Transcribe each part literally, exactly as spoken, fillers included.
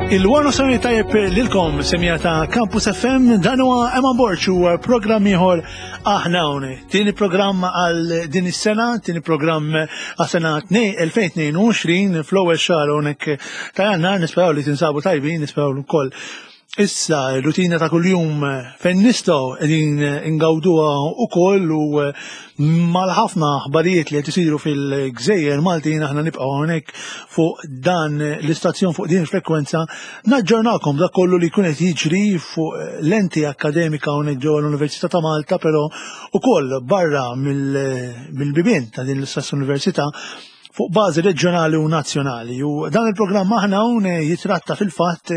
Il-wara nofsinhar tajjeb lilkom, semmiegħa ta' Campus F M, dan huwa Emma Borg u programm ieħor Aħna Hawn. Tieni programm għal din is-sena, tieni programm għal sena elfejn u tnejn u għoxrin fl-ewwel xahar hawnhekk ta' Jannar. Nisperaw li tinsabu tajbin, nisperaw ukoll issa rutina ta' kuljum fejn nistgħu qegħdin ingawduha ukoll u mal-ħafna aħbarijiet li qed isiru fil-Gżejjer Maltin, aħna nibqgħu hawnhekk fuq dan l-istazzjon, fuq din il-frekwenza, naġġornakom dak kollu li jkun qed jiġri fuq lenti akkademika hawnhekk ġewwa l-Università ta' Malta, però ukoll barra mill-bibien ta' din l-istess università, fuq bażi reġjonali u nazzjonali. U dan il-programm Aħna Hawn jitratta fil-fatt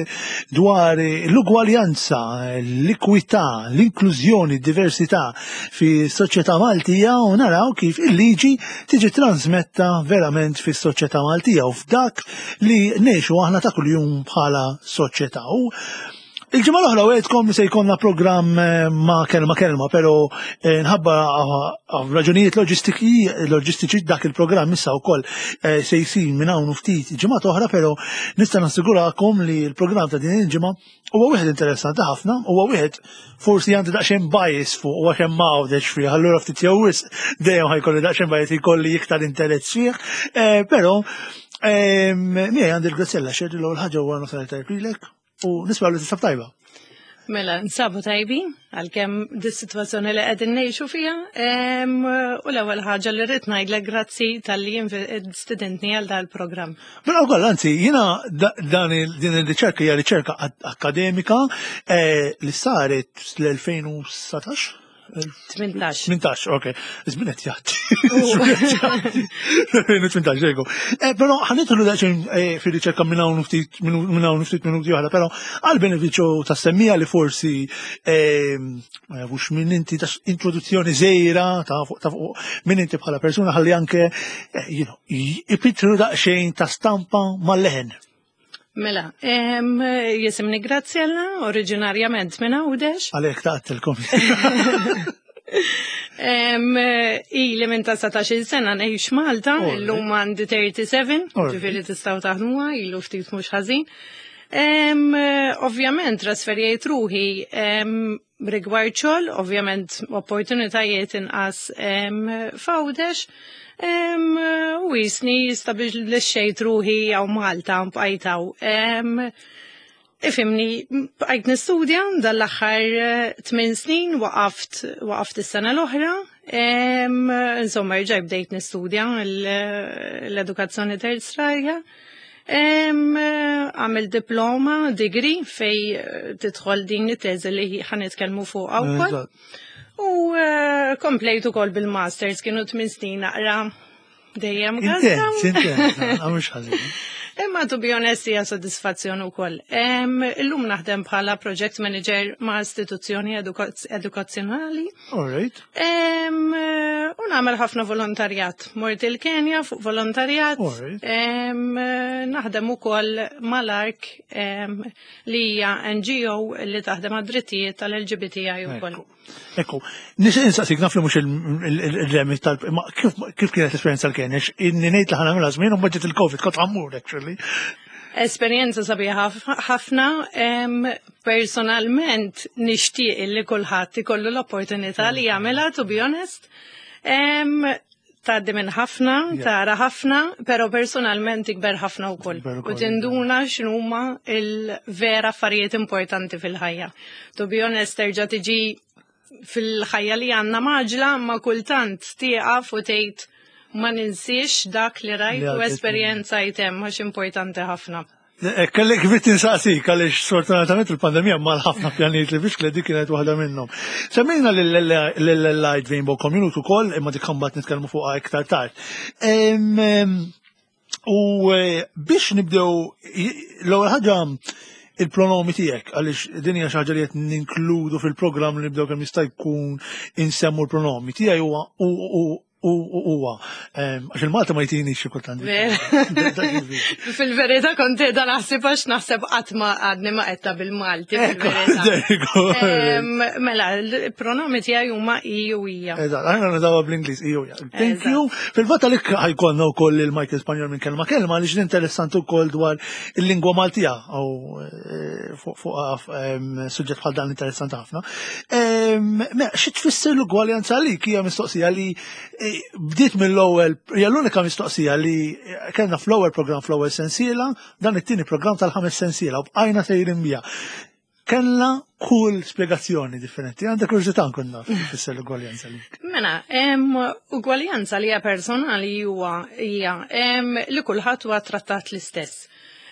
dwar l-ugwaljanza, l-ikwità, l-inklużjoni, diversità fi soċjetà Maltija u naraw kif il-liġi tiġi trasmessa verament fis soċjetà Maltija u f'dak li ngħixu aħna ta' kuljum bħala soċjetà. U il-ġimgħa l-oħra wegħedtkom li se jkollna programm eh, ma' Kelma Kelma, però eh, minħabba raġunijiet loġistiki loġistiċi dak il-programm issa wkoll eh, se jsir minn hawn ftit ġimgħa oħra, però nista' nassigurakom li l-programm ta' din il-ġimgħa huwa wieħed interessanti ħafna, huwa wieħed forsi għandi daqsxejn bias fuq u għax hemm Għawdex fih, allura ftit jew wisq dejjem ħa jkolli daqsxejn bias, jkolli iktar interess fih, però miegħi għandi l-Graziella Xerri. L-ewwel ħaġa, wara nofsinhar tajjeb lilek u nisperaw li tinsab tajba. Mela, nsabu tajbin, għalkemm dis-sitwazzjoni li qegħdin ngħixu fiha. U l-ewwel ħaġa li rrid ngħidlek, grazzi talli stidintni għal dal-programm. Mela wkoll, anzi, jiena dan din ir-riċerka hija riċerka akademika eh, li saret l-elfejn u dsatax. tmintax. tmintax, ok. Iż-żmien qed jgħaddi. elfejn u tmintax, ejku. Eh, però ħa nidħlu daqsxejn eh, fir-riċerka minn hawn ftit minn hawn ftit minuti oħra, però għal benefiċċju tas-semmiegħa li forsi eh, ma jafux minn inti, ta' introduzzjoni żgħira ta' fuq ta' fuq minn inti bħala persuna, ħalli anke you know, ipittru daqsxejn ta' stampa mal-leħen. Mela, em, jisimni Graziella, oriġinarjament minn Għawdex. Għalhekk taqtilkom. Em, Ili minn ta' sbatax-il sena ngħix Malta, Alright. illum għandi tlieta u tletin, Alright. ġifieri tistgħu taħdmuha, ilu ftit mhux ħażin. Em, Ovvjament trasferjejt ruħi em, rigward xogħol, ovvjament opportunitajiet inqas em, f'Għawdex, em, u jisni stabilixxejt ruħi hawn Malta, bqajt hawn. Em, Ifhimni, bqajt nistudja dal-aħħar eh, tmien snin, waqaft waqaft is-sena l-oħra. Em, Insomma, rġaj bdejt nistudja l- l-edukazzjoni terzjarja. Em, Għamil diploma, degree, fej eh, tidħol din it-teżi li ħa nitkellmu fuqha wkoll. U eh, komplejt ukoll bil-masters, kienu tmien snin naqra dejjem Intens, għażla. intens, mhux ħażin. Imma to be honest hija sodisfazzjon ukoll. Em, Illum naħdem bħala project manager ma' istituzzjoni eduka- edukazzjonali. All right. Em, U nagħmel ħafna volontarjat. Mort il-Kenja fuq volontarjat. Alright. Em, Naħdem ukoll mal-ARC em, li hija N G O li taħdem għad-drittijiet tal-L G B T I ukoll. Ekku, nixtieq insaqsik, naf li mhux il-remit tal, ma kif kif kienet l-esperjenza l-Kenja? Inni ngħid li ħa nagħmilha żmien u ġiet il-Covid, kont ħa mmur actually. Esperjenza sabiħa ħafna, em, personalment nixtieq li kulħadd ikollu l-opportunità li jagħmilha, to be honest. Em, Tgħaddi minn ħafna, Yeah. tara ħafna, pero personalment tikber ħafna wkoll. Tikber U ukoll, tinduna x'numa il-vera affarijiet importanti fil-ħajja. To be honest, terġa' tiġi fil-ħajja li għandna mgħaġġla, ma kultant tieqaf u tgħid ma ninsiex dak li rajt Li u għaddejt esperjenza jtem, għax importanti ħafna. Eh, Kellek bit insaqsik għaliex sfortunatament il-pandemija mal ħafna pjanijiet li biex dik kienet waħda minnhom. Semmejna l-Light Rainbow Community ukoll, imma dik mbagħad nitkellmu fuqha iktar tard. Em, em, U eh, biex nibdew, l-ewwel ħaġa, il-pronomi tiegħek, għaliex din hija xi ħaġa li qed ninkludu fil-programm li nibdew kemm jista' jkun insemmu l-pronomi tiegħi huwa u u huwa. Għax il-Malta ma jtini xi kultant. Fil-verità kont qiegħda naħseb għax naħseb qatt ma għadni ma qedta bil-Malti. Mela, il-pronomi tiegħi huma i u hija. Eżatt, aħna nużawha bl-Ingliż i u hija. Thank you. Fil-fatt għalik ħa jkollna wkoll il-Michael Spanjol minn Kelma Kelma għaliex interessanti wkoll dwar il-lingwa Maltija u eh, fuq suġġett bħal dan interessanti ħafna. Mela, xi tfisser l-ugwaljanza għalik hija mistoqsija li eh, bdiet mill-ewwel, hija l-unika mistoqsija li kellna fl-ewwel programm fl-ewwel sensiela, dan it-tieni programm tal-ħames sensiela u bqajna sejrin bija. Kellna kull spjegazzjoni differenti. Għandek kurżità nkun naf tfisser l-ugwaljanza li. Mela, ugwaljanza li hija personali huwa hija li kulħadd huwa trattat l-istess.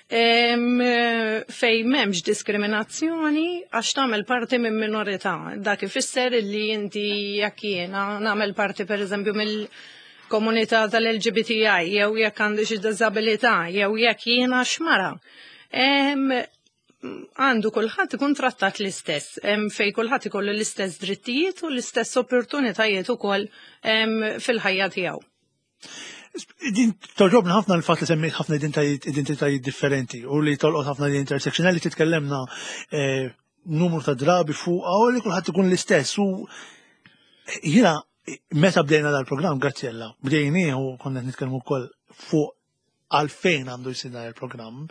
Fej m'hemmx diskriminazzjoni għax tagħmel parti minn minorità. Dak ifisser li inti jekk jiena nagħmel parti pereżempju mill-komunità tal-L G B T I jew jekk għandi xi diżabilità jew jekk jiena xmara. Għandu kulħadd ikun trattat l-istess, fej kulħadd ikollu l-istess drittijiet u l-istess opportunitajiet ukoll fil-ħajja tiegħu. Din togħġobna ħafna l-fatt li semmejt ħafna identitajiet differenti u li tolqot ħafna l-intersectionality, tkellemna eh, numru ta' drabi fuq u li kulħadd ikun l-istess u jiena meta bdejna dal-programm, Graziella, bdejnieh u konna nitkellmu wkoll fuq għalfejn għandu jsir dan il-programm.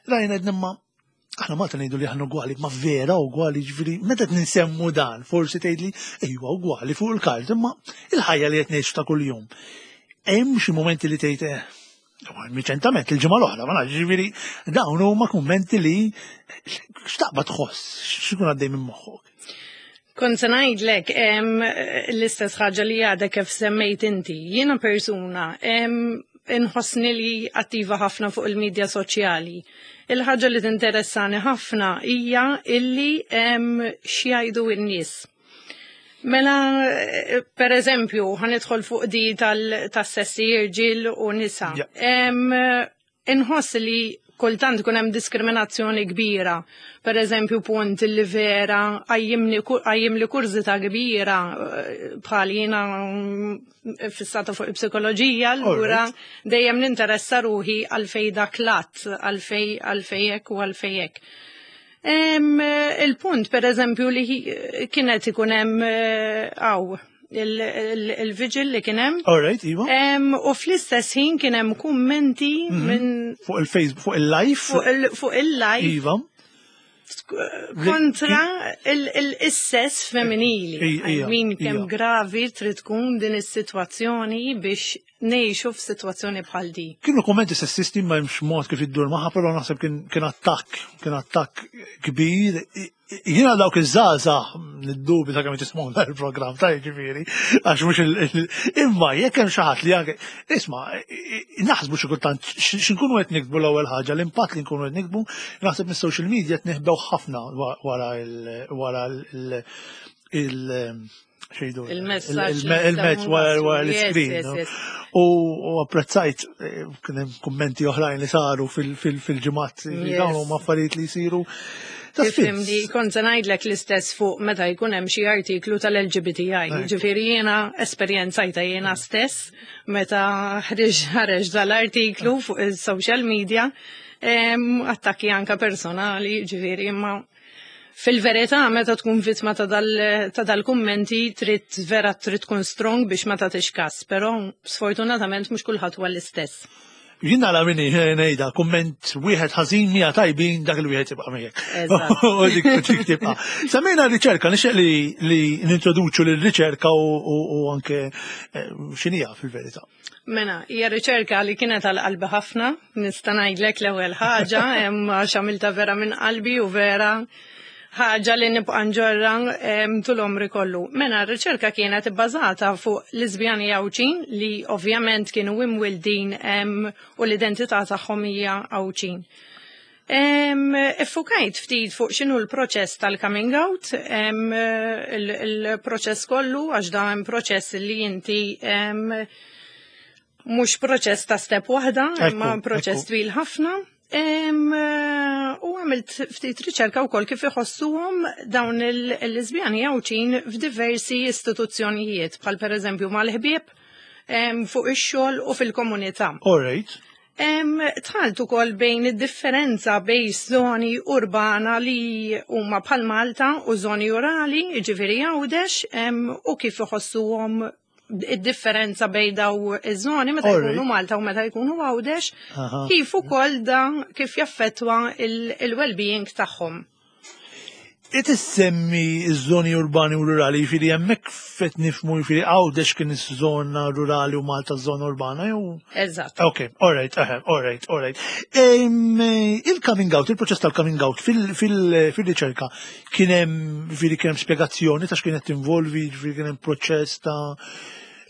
Rajna imma aħna Malta ngħidu li aħna ugwali, ma vera ugwali? Ġifieri, meta ninsemmu dan, forsi tgħidli ejwa ugwali fuq il-kart, imma il-ħajja li qed ngħixu ta' kuljum. Hemm xi momenti li tgħid eh, riċentament, il-ġimgħa l-oħra, ma nafx, ġifieri dawn huma kummenti li x'taqbad tħoss, x'ikun għaddej minn moħħok? Kont se ngħidlek l-istess ħaġa li għadha kif semmejt inti. Jiena persuna inħossni li attiva ħafna fuq il-medja soċjali. Il-ħaġa li tinteressani ħafna hija illi x'jgħidu n-nies. Mela, per eżempju, ħa nidħol fuq di tal-sessi irġiel u nisa. Inħoss li kultant kun hemm diskriminazzjoni kbira. Per eżempju, punt li vera qajjimli kurżità kbira, eh, bħal jiena mm, fissata fuq il-psikoloġija, allura dejjem ninteressa ruħi għalfej dak lat, għalfej għalfej hekk u għalfej hekk. Il-punt, per eżempju, li kienet ikun hemm għaw il-vigil li kien hemm. All right, iva. U fl-istess ħin kien hemm kummenti mhm. minn fuq il-Facebook, fuq il-live. Fuq il-live. Iva. Kontra il-sess femminili. Min kemm gravi trid tkun din is-sitwazzjoni biex ngħixu f'sitwazzjoni bħal di. Kienu kommenti sessisti, ma hemmx mod kif iddur magħha, però naħseb kien attakk, kien attakk kbir. Jiena dawk iż-żgħażagħ niddubi ta' kemm tismgħu dan il-programm ta' ġifieri, għax mhux imma jekk hemm xi ħadd li anke isma' naħsbu xi kultant x'inkunu qed nikbu l-ewwel ħaġa, l-impatt li nkunu qed nikbu, naħseb mis-social media qed neħbew ħafna wara wara il xejdu. Il-messaġġ. Il-mezz wara l-screen. U apprezzajt eh, kien hemm kummenti oħrajn li saru fil-ġimgħat, dawn huma affarijiet li jsiru. Tifhimni, kont se ngħidlek l-istess fuq meta jkun hemm xi artiklu tal-L G B T I. Ġifieri jiena esperjenzajta jiena stess meta ħriġ ħareġ dal-artiklu fuq il-social media, attakki anka personali, ġifieri imma fil-verità meta tkun vittma ta' dal-kummenti trid vera trid tkun strong biex ma tagħtix kas, però sfortunatament mhux kulħadd huwa l-istess. Jien la minni ngħidha, kumment wieħed ħażin, mija tajbin, dak il-wieħed tibqa' miegħek. U dik dik tibqa'. Semmejna riċerka, nixtieq li li nintroduċu l-riċerka u anke eh, x'inhija fil-verità. Mela, hija riċerka li kienet għal qalbi ħafna, nista' ngħidlek l-ewwel ħaġa, hemm għax għamilta vera minn qalbi u vera ħaġa li nibqa' nġorra tul omri kollu. Mela, r-riċerka kienet ibbażata fuq lesbjani Għawdxin li ovvjament kienu imwildin u l-identità tagħhom hija Għawdxin. Iffukajt ftit fuq x'inhu l-proċess tal-coming out, il-proċess kollu, għax dan proċess li inti mhux proċess ta' step waħda, imma proċess twil ħafna. U għamilt ftit riċerka wkoll kif iħossuhom dawn il-lesbjani Għawdxin f'diversi istituzzjonijiet, bħal pereżempju mal-ħbieb, em, fuq ix-xogħol u fil-komunità. All right. Em, Dħalt ukoll bejn id-differenza bejn zoni urbana li huma bħal Malta u zoni rurali, jiġifieri Għawdex, em, u kif iħossuhom id-differenza bejn daw iż-żoni meta Alright. jkunu Malta u meta jkunu Għawdex, Aha. kif ukoll dan kif jaffettwa il- il-well-being tagħhom. It issemmi iż-żoni urbani u rurali, jiġifieri hemmhekk fet nifhmu, jiġifieri Għawdex kien iż-żona rurali u Malta żona urbana, jew? Eżatt. Ok, all right, aha, all right, all right. Em, Il-coming out, il-proċess tal-coming out fil- fil- fil-riċerka, kien hemm, jiġifieri kien hemm spjegazzjoni ta' x'kienet tinvolvi, jiġifieri kien hemm proċess ta'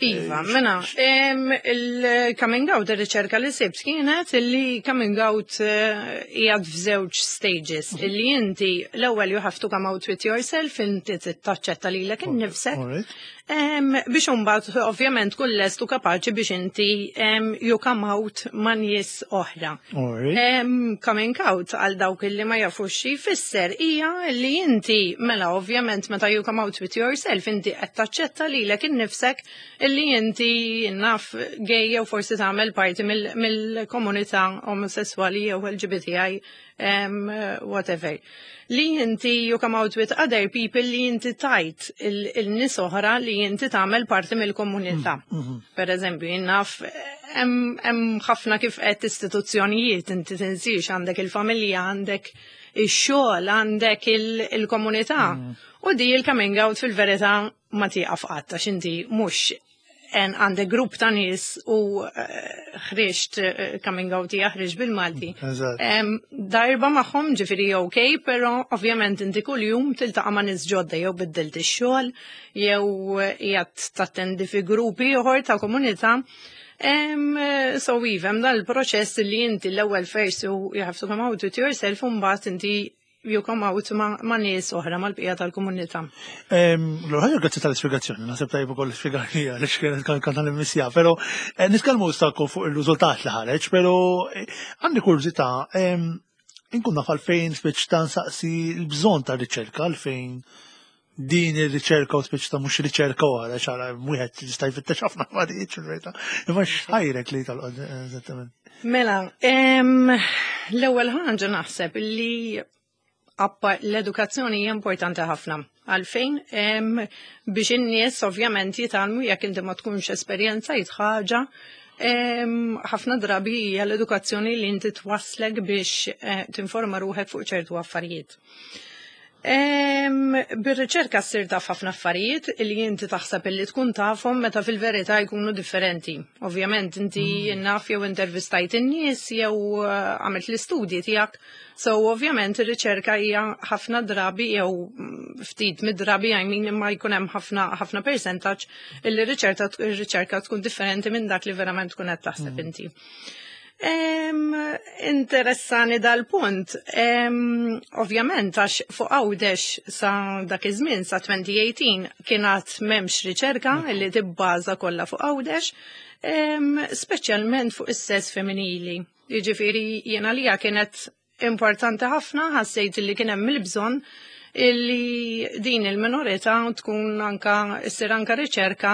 Iva, mela, em, il-coming out, il-riċerka li sibt kienet illi coming out eh, qiegħed f'żewġ stages. Illi inti l-ewwel you have to come out with yourself, inti taċċetta lilek innifsek. All right. Em, biex imbagħad ovvjament tkun lest u kapaċi biex inti em, you come out ma' nies oħra. All right. Em, coming out għal dawk illi ma jafux xi jfisser hija li inti mela ovvjament meta you come out with yourself, inti qed taċċetta lilek innifsek illi inti naf gay jew forsi tagħmel parti mill- mill-komunità omosessuali jew L G B T I, um, whatever. Li inti you come out with other people, li inti tgħid il-nies oħra li inti tagħmel parti mill-komunità. Per eżempju, naf hemm hemm ħafna kif qed istituzzjonijiet, inti tinsiex għandek il-familja, għandek ix-xogħol, għandek il- il-komunità. U di il-coming out fil-verità ma tieqaf qatt, għax inti mhux en għandek grupp ta' nies u eh, ħriġt eh, coming out hija ħriġt bil-Malti. Eżatt. Em, Darba magħhom, ġifieri ok, pero ovvjament inti kuljum tiltaqa' ma' nies ġodda, jew biddilt ix-xogħol, jew qiegħed tattendi fi gruppi oħor ta' komunità. Em, so iva, hemm dan il-proċess li inti l-ewwel first you you have to come out with yourself u mbagħad inti you come out ma', ma' nies oħra, mal-bqija tal-komunità. L-ħagġa, grazzi tal-ispiegazzjoni, naħseb tajb ukoll spjegani għaliex kienet kan kan tal-missja, pero eh, nitkellmu stakku fuq il-riżultat li ħareġ, pero eh, għandi kurżità, em, inkun naf għalfejn speċ ta' nsaqsi l-bżonn ta' riċerka, għalfejn din ir-riċerka u speċ ta' mhux riċerka oħra, ċara, wieħed jista' jfittex ħafna affarijiet fil-verità. Imma x'ħajrek li tal-qod eżattament? Mela, em, l-ewwel ħaġa naħseb li appa l-edukazzjoni hija importanti ħafna. Għalfejn? Em, biex in-nies ovvjament jitgħallmu, jekk inti ma tkunx esperjenzajt ħaġa, em, ħafna drabi hija l-edukazzjoni li inti twasslek biex eh, tinforma ruħek fuq ċertu affarijiet. Em, Bir-riċerka ssir taf ħafna affarijiet li inti taħseb li tkun tafhom meta fil-verità jkunu differenti. Ovvjament inti naf jew intervistajt in-nies jew eh, għamilt l-istudji tiegħek. So ovvjament ir-riċerka hija ħafna drabi jew mm, ftit mid-drabi, I mean, imma jkun hemm ħafna ħafna percentaġġ illi r-riċerka r-riċerka tkun differenti minn dak li verament tkun qed taħseb inti. Em, interessani dal-punt. Em, ovvjament, għax fuq Għawdex sa dak iż-żmien, sa elfejn u tmintax, kienet m'hemmx riċerka li tibbaża kollha fuq Għawdex, em, speċjalment fuq is-sess femminili. Jiġifieri jiena lija kienet importanti ħafna, ħassejt li kien hemm il-bżonn illi din il-minorità tkun anka issir anka riċerka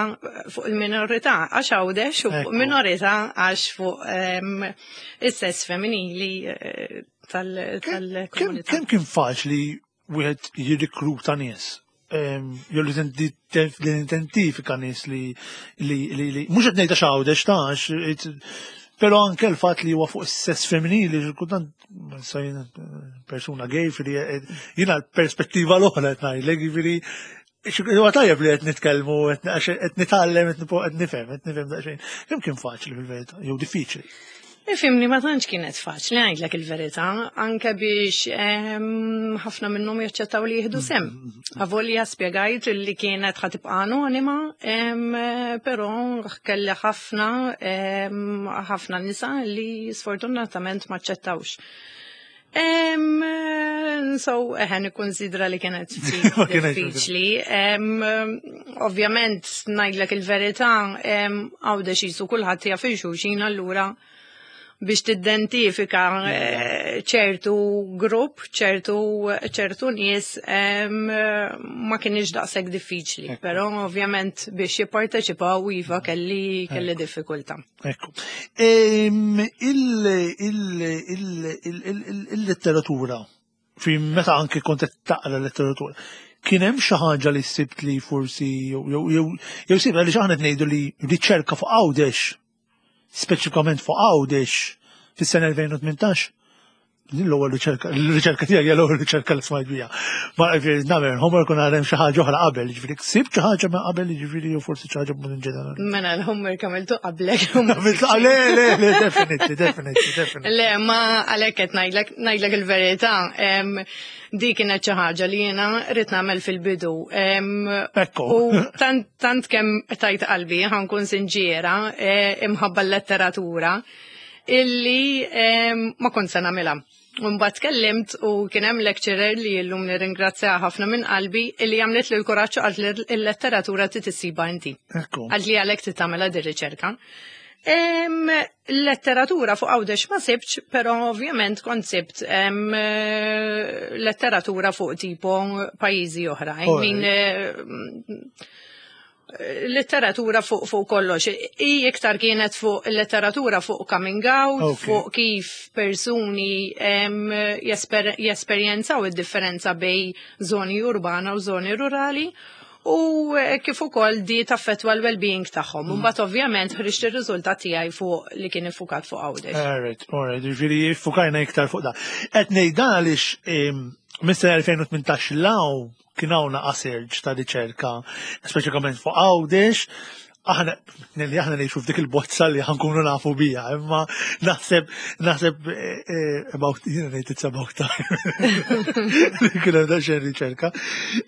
fuq il-minorità għax Għawdex u fuq Ekku. minorità għax fuq em, is-sess femminili eh, tal- Kemm tal-komunità. kemm kien faċli wieħed jirrikruta nies? Em, Jew li li identifika nies li li li li mhux qed ngħid għax Għawdex ta' għax però anke l-fatt li huwa fuq is-sess femminili, kultant sa jiena persuna gay, fili jiena l-perspettiva l-oħra qed ngħidlek, jiġifieri huwa tajjeb li qed nitkellmu, qed għax qed nitgħallem, qed nipo- qed nifhem, qed nifhem daqsxejn. Kemm kien faċli fil-verità, jew diffiċli? Ifhimni, ma tantx kienet faċli, ngħidlek il-verità, anke biex em, ħafna minnhom jaċċettaw li jieħdu sehem. Avolja spjegajt li kienet ħa tibqa' anonima, em, però kelli ħafna em, ħafna nisa li sfortunatament ma ċċettawx. Em, so, eħe, nikkonsidra li kienet ftit Ma kienx diffiċli. Em, Ovvjament, ngħidlek il-verità, em, Għawdex jisu kulħadd jaf xulxin, allura Biex tidentifika eh, ċertu grupp, ċertu ċertu nies ma kienx daqshekk diffiċli, però ovvjament biex jipparteċipaw, iva, kelli kelli diffikultà. Ekku. Il-letteratura, fi meta anke kont qed taqra letteratura, kien hemm xi ħaġa li sibt li forsi jew jew jew sibt għaliex aħna qed ngħidu li riċerka fuq Għawdex, speċifikament fuq Għawdex fis-sena elfejn u tmintax, din l-ewwel riċerka, l-riċerka tiegħi hija l-ewwel riċerka li smajt biha. Ma ġifieri nagħmel homework u nagħmel xi ħaġa oħra qabel, ġifieri ksibt xi ħaġa ma qabel, ġifieri jew forsi xi ħaġa b'mod in ġenerali. Mela l-homework għamiltu qablek. Għamiltu, le, le, le, definitely, definitely, definitely. Le, ma għalhekk qed ngħidlek ngħidlek il-verità. em, Di kienet xi ħaġa li jiena rrid nagħmel fil-bidu. Em, Ekku. U tant tant kemm tajt qalbi, ħa nkun sinċiera, eh, imħabba l-letteratura, illi em, ma kont se nagħmilha. Mbagħad tkellimt u kien hemm lecturer li llum nirringrazzjaha ħafna minn qalbi illi għamlet li l-kuraġġ, għalt li l-letteratura trid issibha inti. Ekku. Għalt li għalhekk trid tagħmilha din riċerka. Em, letteratura fuq Għawdex ma sibx, però ovvjament kont sibt em, eh, letteratura fuq tipo pajjiżi oħra. I mean, eh, letteratura fuq fuq kollox. I iktar kienet fuq letteratura fuq coming out, Okay. fuq kif persuni em, jesper, jesperjenzaw id-differenza bejn zoni urbana u zoni rurali u eh, kif ukoll di taffetwa l-well-being tagħhom. Mm. Mbagħad ovvjament ħriġt ir-riżultat tiegħi fuq li kien iffukat fuq Għawdex. Alright, alright, ġifieri fukajna iktar fuq da. Qed ngħid dan għaliex em, mis-sena elfejn u tmintax 'l hawn kien hawn surge ta' riċerka, speċjalment fuq Għawdex. Aħna, li aħna ngħixu f'dik il-bozza li ħa nkunu nafu bija, imma naħseb, naħseb, eh, eh, about, jiena ngħid it's about time li kien hemm daqsxejn riċerka.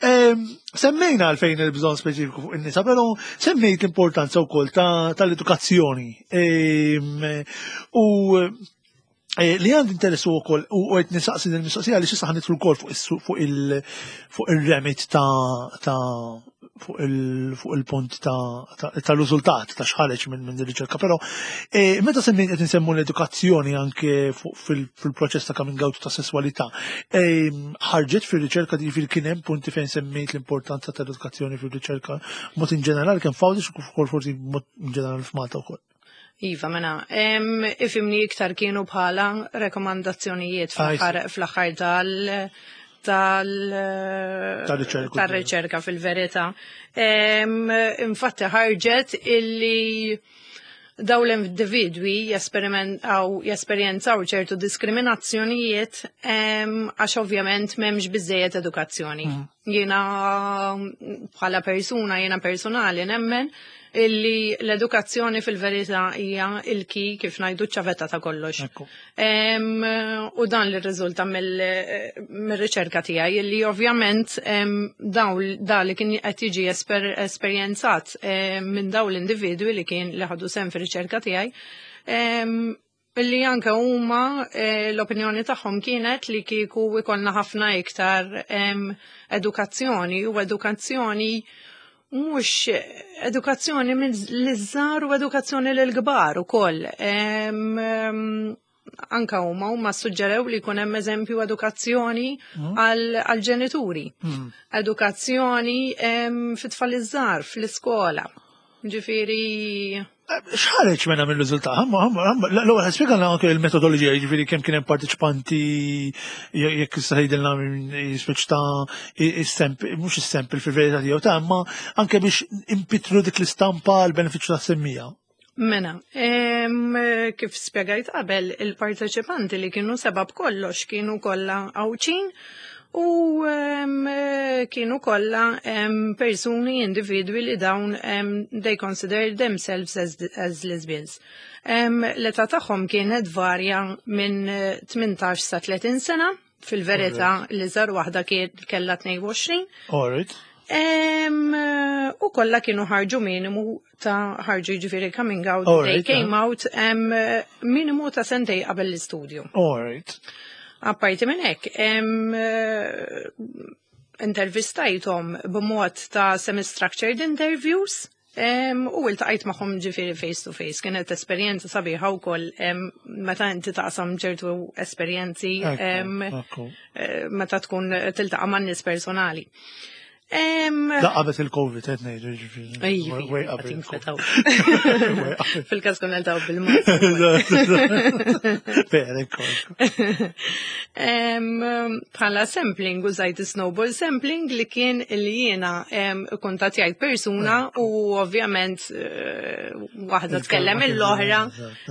Em, Semmejna għalfejn il-bżonn speċifiku fuq in-nisa, però semmejt l-importanza wkoll ta' tal-edukazzjoni. Em, U Eh, li għandi interessu wkoll u qed nistaqsi din il-mistoqsija li xissa ħa nidħlu wkoll fuq is- fuq il fuq il-remit ta' ta' fuq il fuq il-punt ta' ta' tal-riżultat ta' x'ħareġ minn minn din riċerka, però eh, meta semmejt qed nsemmu l-edukazzjoni anke fuq fil- fil-proċess ta' coming out ta' sessualità, eh, ħarġet fir-riċerka di fil kien hemm punti fejn semmejt l-importanza tal-edukazzjoni fil-riċerka mod in ġenerali kemm f'Għawdex u kif ukoll forsi mod in ġenerali f'Malta wkoll? Iva, mela, em, ifhimni, iktar kienu bħala rekomandazzjonijiet fl-aħħar fl-aħħar tal tal Tal-riċerka. Tal-riċerka fil-verità. Em, Infatti ħarġet illi daw l-individwi jesperimentaw jesperjenzaw ċertu diskriminazzjonijiet em, għax ovvjament m'hemmx biżejjed edukazzjoni. Jiena bħala persuna, jiena personali nemmen illi l-edukazzjoni fil-verità hija il-key, kif ngħidu, ċavetta ta' kollox. Ekku. Em, u dan li rriżulta mill-riċerka tiegħi illi ovvjament em, daw da li kien qed jiġi esper, esperjenzat em, minn daw l-individwi li kien li ħadu sehem fir-riċerka tiegħi em, illi anke huma eh, l-opinjoni tagħhom kienet li kieku ikollna ħafna iktar em, edukazzjoni, u edukazzjoni mhux edukazzjoni minn l-żgħar u edukazzjoni l-kbar ukoll. Em, em, anka huma huma suġġerew li jkun hemm eżempju edukazzjoni għal għal-ġenituri. Edukazzjoni em, fit-tfal iż-żgħar fl-iskola. Ġifieri X'ħareġ mena mill-riżultat? Ħamma, ħamma, ħamma, l-ewwel spjegalna anke il-metodoloġija, jiġifieri kemm kien hemm partiċipanti, jekk issa tgħidilna speċ ta' is-sample, mhux is-sample fil-verità tiegħu ta' imma anke biex impitru dik l-istampa għal benefiċċju tas-semmija. Mela, em, kif spjegajt qabel, il-parteċipanti li kienu seba b'kollox kienu kollha Għawdxin u em, kienu kollha em, persuni, individwi li dawn em, they consider themselves as, as lesbians. Em, L-età tagħhom kienet varja minn eh, tmintax sa tletin sena, fil-verità l-iżgħar waħda kien kellha tnejn u għoxrin. All right. Em, u kollha kienu ħarġu minimu ta' ħarġu, ġifieri coming out, All they right, came uh. out em, minimu ta' sentej qabel l-istudju. All right. Apparti minn hekk, em, eh, intervistajthom b'mod ta' semi-structured interviews, Em, U iltqajt magħhom, ġifieri, face to face. Kienet esperjenza sabiħa wkoll em, meta inti taqsam ċertu esperjenzi em, Ekku. eh, meta tkun tiltaqa' man-nies personali. Em, Da qabel il-Covid, qed ngħidu, ġifieri. Ejja, Way qabel il-Covid. tinkwetaw. Way qabel. Fil-każ konna niltaqgħu bil-mask. Vera, ekku, ekku. Em, Bħala sampling użajt snowball sampling, li kien li jiena em, kuntattjajt persuna u ovvjament eh, waħda tkellem l-oħra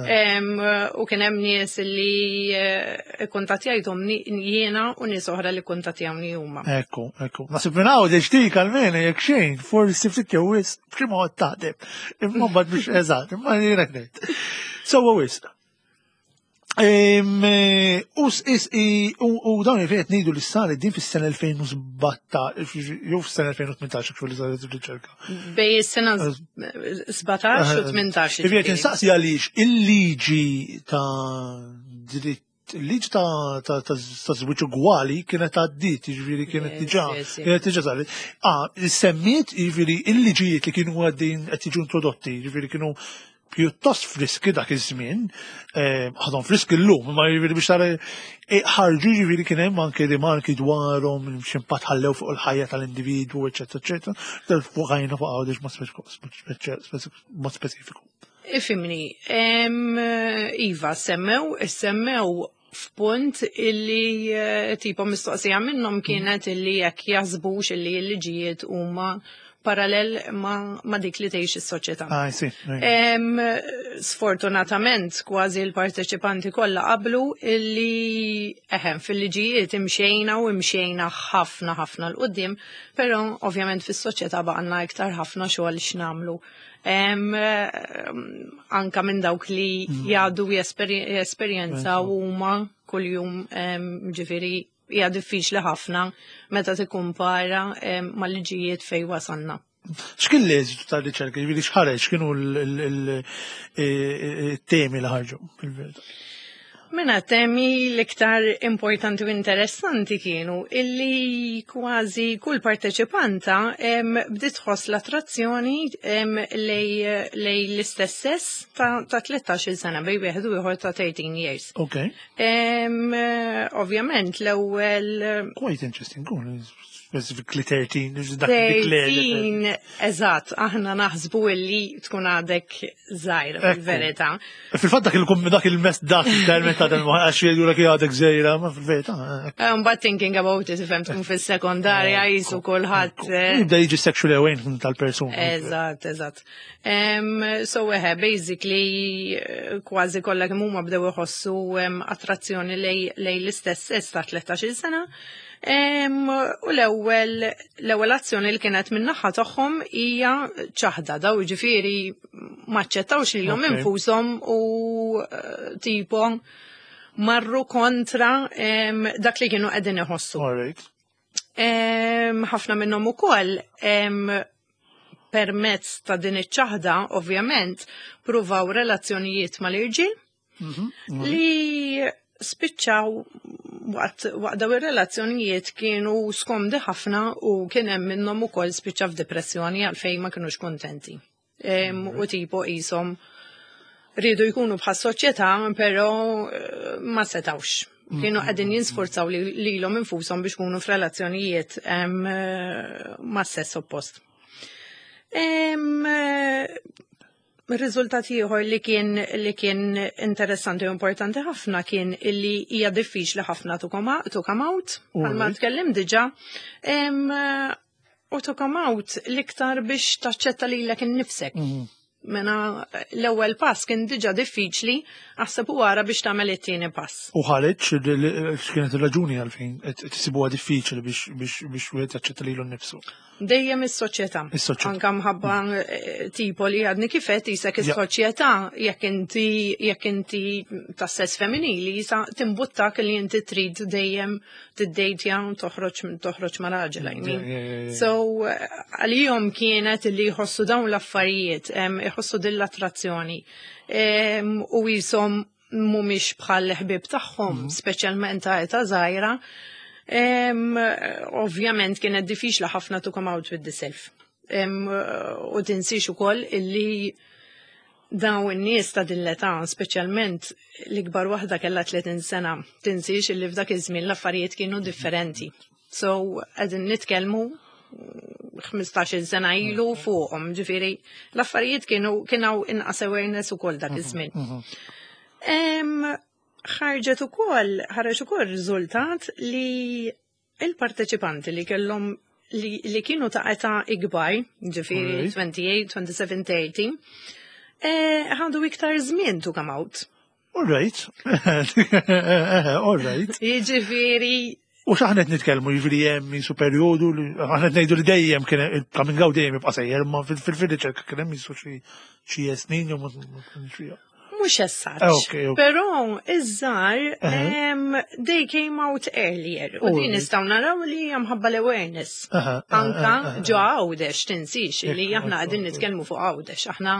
em, u kien hemm nies li eh, kuntattjajthom ni- jiena u nies oħra li kuntattjawni huma. Ekku, ekku. Naħseb minn hawn dik għalmenu, jekk xejn, forsi ftit jew wisq, b'xi mod taħdem. Imma mbagħad biex eżatt, imma jiena ngħid. Sewwa wisq. Em, eh, U s- is- i- u u dawn il-fejt ngħidu li saret din fis-sena elfejn u sbatax, jew fis-sena elfejn u tmintax kif li saret il-riċerka. Bejn is-sena sbatax u tmintax. Ivjet insaqsi għaliex il-liġi ta' dritt, il-liġi ta' ta' ta' ta' żwieġ ugwali kienet għaddiet, jiġifieri kienet Yes, diġà yes, yes. kienet diġà saret. Ah, semmiet, jiġifieri, il-liġijiet li kienu għaddin qed jiġu introdotti, jiġifieri kienu pjuttost friski dak iż-żmien, eh, għadhom friski llum, ma jiġifieri biex tara eh, ħarġu, jiġifieri kien hemm anke rimarki dwarhom, x'impatt ħallew fuq il-ħajja tal-individwu, eċetera, eċetera. Fuq ħajna fuq Għawdex mod speċifiku. Ifhimni, em, iva, semmew, semmew f'punt illi eh, tipo mistoqsija minnhom kienet illi jekk jaħsbux illi l-liġijiet huma parallel ma, ma dik li tgħix is-soċjetà. Ah, sì. Em, Sfortunatament, kważi l-parteċipanti kollha qablu illi eħem fil-liġijiet imxejna u imxejna ħafna ħafna 'l quddiem, però ovvjament fis-soċjetà baqgħalna iktar ħafna xogħol x'nagħmlu. Em, em, anka minn dawk li jgħaddu jesperjenza huma kuljum, em, ġifieri hija diffiċli ħafna meta tikkumpara em, mal-liġijiet fej wasalna. X'kien l-eżitu tal-riċerka? Jiġifieri x'ħareġ, x'kienu l-temi li ħarġu fil-verità? Mena temi l-iktar importanti u interessanti kienu illi kważi kull parteċipanta em, bdiet tħoss l-attrazzjoni em, lej, lej l-istess sess ta', ta' tlettax-il sena, bejn wieħed u ieħor ta' thirteen years. Ok, Em, ovvjament l-ewwel quite interesting. Cool. Specifically thirteen, dak dik l- thirteen, eżatt, aħna naħsbu illi tkun għadek żgħira Ekku. fil-verità. Fil-fatt dak il-kum dak il-mess dak il-termin ta' dan għax jgħidu għadek żgħira, ma fil-verità. Um, but thinking about it, ifhem, tkun fis-sekondarja jisu kulħadd. eh, Jibda jiġi sexually aware tal-persuna. Eżatt, eżatt. Um, so eħe, basically, eh, kważi kollha kemm huma bdew iħossu um, attrazzjoni lej, lej l-istess sess ta' tlettax-il sena. Um, u l-ewwel l-ewwel azzjoni li kienet min-naħa tagħhom hija ċaħda, daw ġifieri maċċettawx lilhom Ok. infushom u eh, tipo marru kontra em, dak li kienu qegħdin iħossu. All right. Em, ħafna minnhom ukoll em, permezz ta' din iċ-ċaħda, ovvjament, pruvaw relazzjonijiet mal-irġiel li spiċċaw waqt waqt daw ir-relazzjonijiet kienu skomdi ħafna u kien hemm minnhom ukoll spiċċa f'depressjoni għalfejn ma kinux kontenti. Em, U tipo qishom rridu jkunu bħas soċjetà, però eh, ma setawx. Kienu qegħdin jinsforzaw li- lilhom infushom biex kunu f'relazzjonijiet em, eh, ma' sess oppost. Em, eh, Riżultat ieħor li kien li kien interessanti u importanti ħafna kien illi hija diffiċli ħafna to come out, to come out bħalma Alright. tkellim diġà. Em, eh, U to come out l-iktar biex taċċetta lilek innifsek. Mena l-ewwel pass kien diġà diffiċli, aħseb u wara biex tagħmel it-tieni pass. U ħareġ x'kienet ir-raġuni għalfejn qed tisibuha diffiċli biex biex biex wieħed jaċċetta lilu nnifsu? Dejjem is-soċjetà. Is-soċjetà. Anka mħabba eh, tipo li għadni kifet jisek Ja. is-soċjetà, jekk inti jekk inti ta' sess femminili jisa timbuttak li inti trid dejjem tiddejtja u toħroġ toħroġ ma' raġel, I mean. Yeah, yeah, yeah, yeah. So eh, għalihom kienet li jħossu dawn l-affarijiet, em, jħossu din l-attrazzjoni. Em, U jisom mhumiex bħal ħbib tagħhom, speċjalment ta' età żgħira. Em, Ovvjament kienet diffiċli ħafna to come out with the self. Em, U tinsiex ukoll illi daw in-nies ta' din l-età, speċjalment l-ikbar waħda kellha tletin sena, tinsiex illi f'dak iż-żmien l-affarijiet kienu differenti. So qegħdin nitkellmu ħmistax-il sena ilu fuqhom, ġifieri l-affarijiet kienu kienu inqas awareness ukoll dak iż-żmien. Em, Ħarġet ukoll, ħareġ ukoll riżultat li il-parteċipanti li kellhom li, li kienu ta' età ikbar, ġifieri Alright. twenty-eight, twenty-seven, thirty, eh, ħadu iktar żmien to come out. All right. All right. Jiġifieri U x'aħna qed nitkellmu, jiġifieri hemm jisu perjodu li aħna qed ngħidu li dejjem kien il-coming out dejjem jibqa' sejjer, ma fil-riċerka kien hemm jisu xi xi snin jew ma kienx fiha. Mhux as such. Ah, okay, okay. Però iż-żgħar Uh-huh. um, they came out earlier. U din Alright. nistgħu naraw li hija mħabba l-awareness. Aha, aha, Anka aha, ġo Għawdex, tinsix li Ekku, aħna ekku, qegħdin ekku. nitkellmu fuq Għawdex. Aħna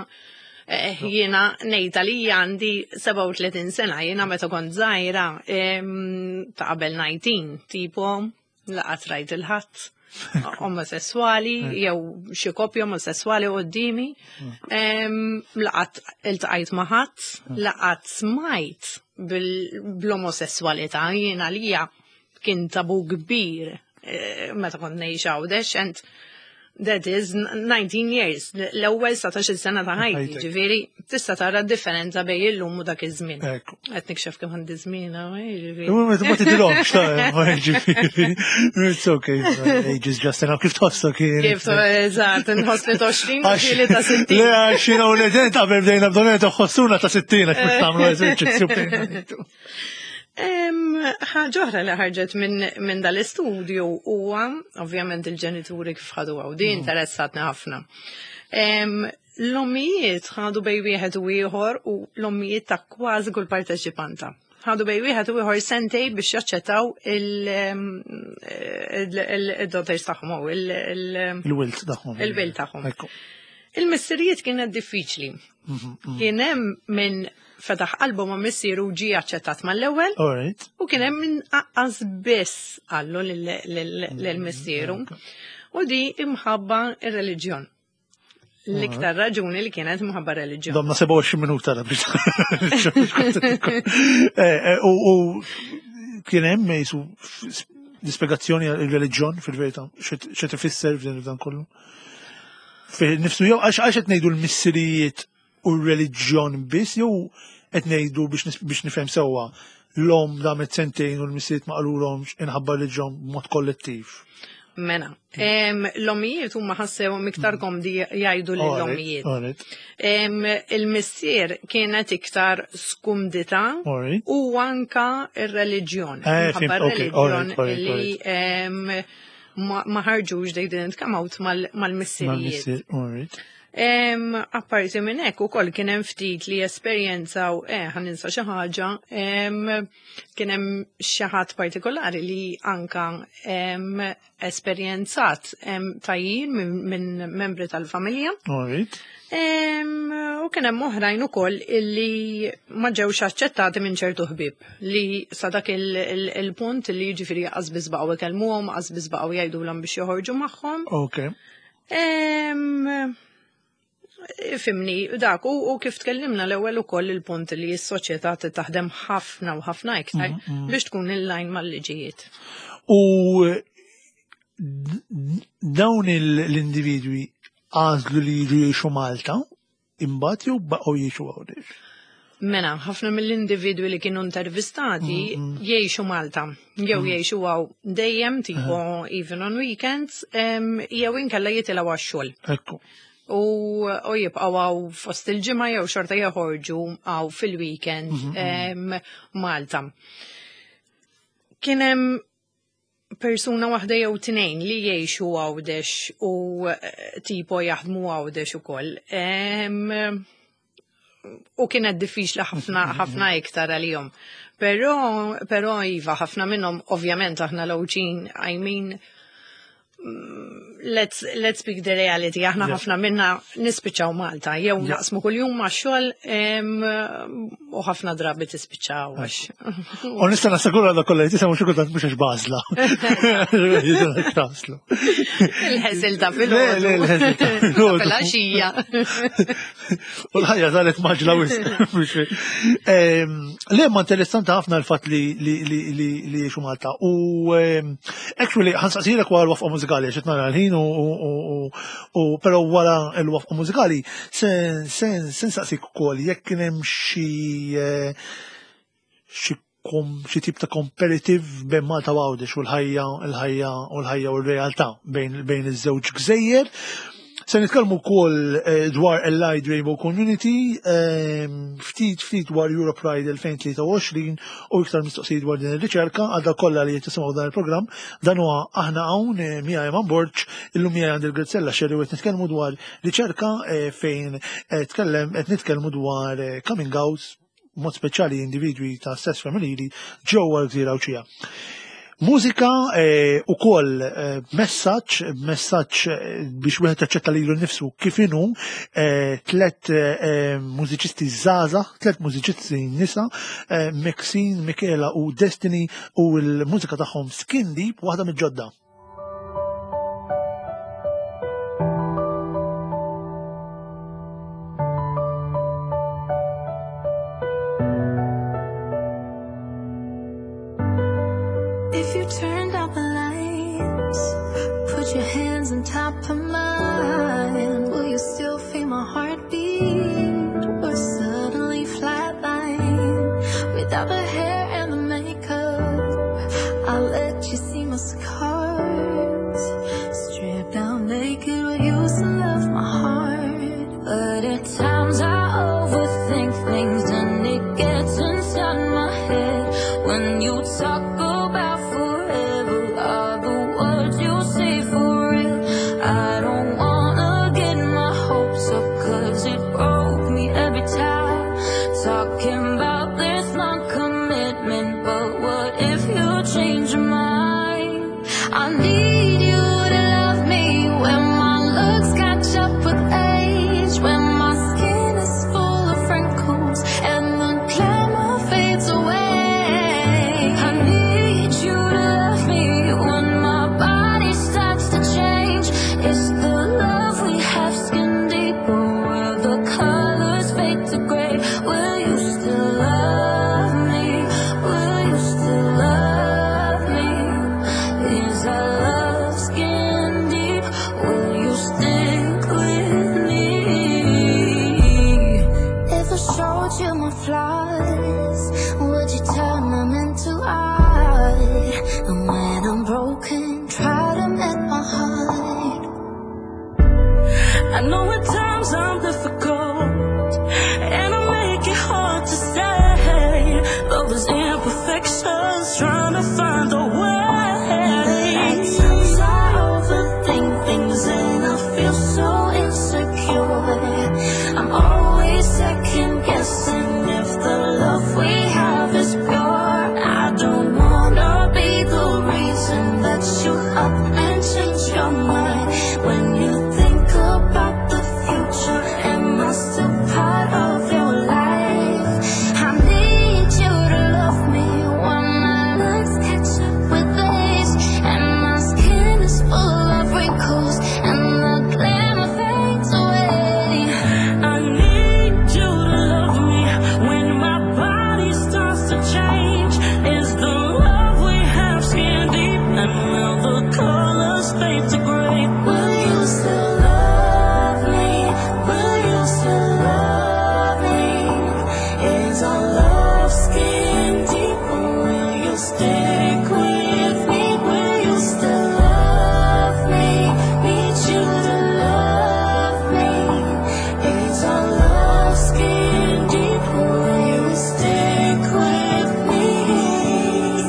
eh, jiena ngħidha li għandi sebgħa u tletin sena, jiena meta kont żgħira em, ta' qabel tmintax, tipo laqat rajt il-ħadd omosessuali jew xi koppja omosessuali quddiemi, em, laqat iltqajt ma' ħadd, laqat smajt bil- bl-omosessualità, jiena lija kien tabu kbir eh, meta kont ngħix Għawdex, and that is nineteen years, l-ewwel sbatax-il sena ta' ħajti, Ħajtek. ġifieri tista' tara d-differenza bejn illum u dak iż-żmien. Ekku. Qed nikxef kemm għandi żmien hawn, eh, ġifieri. Ma tidilhomx, ta' ma ġifieri. It's okay. Age is just enough. Kif tħossok? Kif eżatt, nħossni għoxrin ġieli ta' sittin. Le, għax jiena u l-edent qabel bdejna b'donet ħossuna ta' sittin għax mhux tagħmlu eżerċizzju bdejna. Em, Ħaġa oħra li ħarġet minn min dal-istudju huwa ovvjament il-ġenituri kif ħadu għaw, di interessatni ħafna. Em, L-ommijiet ħadu bej wieħed u ieħor u l-ommijiet ta' kważi kull parteċipanta. Ħadu bej wieħed u ieħor sentej biex jaċċettaw il-daughters tagħhom u il- il- Il-wild tagħhom. Il-wild tagħhom. Ekku. Il-missirijiet kienet diffiċli. Kien hemm min fetaħ qalbu ma' missieru u ġie aċċettat mal-ewwel. All right. U kien hemm min aqqas biss qallu lil-missieru. U di imħabba ir-reliġjon. L-iktar raġuni li kienet imħabba reliġjon. Domna sebgħa u għoxrin minuta la biex. Eh, eh, U u kien hemm jisu l-ispjegazzjoni il-reliġjon fil-verità, x'e tifisser f'dan f'dan kollu? Fih nifsu jew għax għax qed ngħidu l-missirijiet u r-reliġjon biss jew qed ngħidu biex nis- biex nifhem sewwa l-om damet sentejn u l-missirijiet ma qalulhomx inħabba reliġjon b'mod kollettiv? Mena, em, l-ommijiet huma ħassewhom iktar komdi jgħidu lill-ommijiet. All right, Em, Il-missier kienet iktar skumdità all right. u anka ir-reliġjon. Eh, Minħabba fhimt, okay, r-reliġjon all right, all right, li em, ma ma ħarġux, they didn't come out mal- mal-missirijiet. Mal-missier, all right. Em, Apparti minn hekk ukoll kien hemm ftit li esperjenzaw, eh, ħa ninsa xi ħaġa, em, kien hemm xi ħadd partikolari li anka em, esperjenzat em, tgħajjir minn min membri tal-familja. All right. Em, U kien hemm oħrajn ukoll illi ma ġewx aċċettati minn ċertu ħbieb li sa dak il- il- il-punt li jiġifieri qas biss baqgħu ikellmuhom, qas biss baqgħu jgħidulhom biex joħorġu magħhom. Okay. Em, Fhimtni, dak, u, u kif tkellimna l-ewwel ukoll il-punt li s-soċjetà taħdem ħafna u ħafna iktar biex tkun in-line mal-liġijiet. U d- dawn il- l-individwi għażlu li jiġu jgħixu Malta, imbagħad jew baqgħu jgħixu Għawdex? Mela, ħafna mill-individwi li kienu intervistati jgħixu Malta, jew jgħixu hawn dejjem, tipo even on weekends, em, jew inkella jitilgħu għax-xogħol. Ekku. U, u jibqgħu hawn fost il-ġimgħa jew xorta joħorġu hawn fil-weekend em, Malta. Kien hemm persuna waħda jew tnejn li jgħixu Għawdex u eh, tipo jaħdmu Għawdex ukoll. Em, U kienet diffiċli ħafna ħafna iktar għalihom. Però però iva, ħafna minnhom ovvjament aħna l-Għawdxin, I mean, let's, let's speak the reality, aħna ħafna minna nispiċċaw Malta, jew naqsmu kuljum ma' xogħol u ħafna drabi tispiċċaw għax. U nista' nassigura da kollha li tisimgħu xi kultant mhux għax bażla. Il-ħesil ta' filgħodu. Le, le, il-ħesil ta' filgħodu. Filgħaxija. U l-ħajja saret maġla wisq. Le, ma interessanti ħafna l-fatt li li li li li jgħixu Malta. U actually ħa nsaqsilek wara l-waqfa mużikali għax qed nara l-ħin u u u però wara l-waqfa mużikali se se se nsaqsik ukoll jekk kien hemm xi xi xi tip ta' comparative bejn Malta u Għawdex u l-ħajja l-ħajja u l-ħajja u r-realtà bejn bejn iż-żewġ gżejjer. Se nitkellmu wkoll dwar Allied Rainbow Community, ftit ftit dwar Europe Pride elfejn tlieta u għoxrin u iktar mistoqsijiet dwar din ir-riċerka għal dawk kollha li jisimgħu dan il-programm. Dan huwa aħna hawn miegħi Eman Borg, illum miegħi għand il-Graziella Scerri u qed nitkellmu dwar riċerka fejn tkellem qed nitkellmu dwar coming out mod speċjali individwi ta' sess femminili ġewwa l-Gżira Għawdxija. Mużika u koll messaġġ, messaġġ biex wieħed jaċċetta lilu nnifsu kif inhu, tlet mużiċisti żgħażagħ, tlet mużiċisti nisa, Maxine, Michaela u Destiny, u l-mużika tagħhom Skin Deep, waħda mill-ġodda. If you turned out the lights, put your hands on top of mine, will you still feel my heartbeat or suddenly flatline? Without the hair and the makeup, I'll let you see my scars. Stripped down naked, will you still love my heart? But at times I overthink things and it gets inside my head. When you talk about forever, are the words you say for real? I don't wanna get my hopes up, cause it broke me every time. Talking about this non-commitment, but what if you change your mind? I need you to love me when my looks catch up with age, when my skin is full of wrinkles and the glamour fades away. I need you to love me when my body starts to change. It's the love we have skin deep, or will the colors fade to gray? Will you still love me? Will you still love me? Is our love skin deep? Will you stick with me? If I showed you my flaws, would you turn them into art? And when I'm broken, try to mend my heart. I know at times I'm difficult, and I make it hard to say. Love is imperfections, trying to find a way. At times I overthink things and I feel so insecure. I'm always second guessing if the love we have is pure. I don't wanna be the reason that you up and change your mind. When you think about the future, am I still part of your life? I need you to love me when my looks catch up with age, and my skin is full of wrinkles and the glamour fades away. I need you to love me when my body starts to change. Is the love we have skin deep, and will the colors fade to gray? Will you still love me? Will you still love me? Is our love skin deep, or will you stick with me? Will you still love me? Need you to love me. Is our love skin deep, or will you stick with me?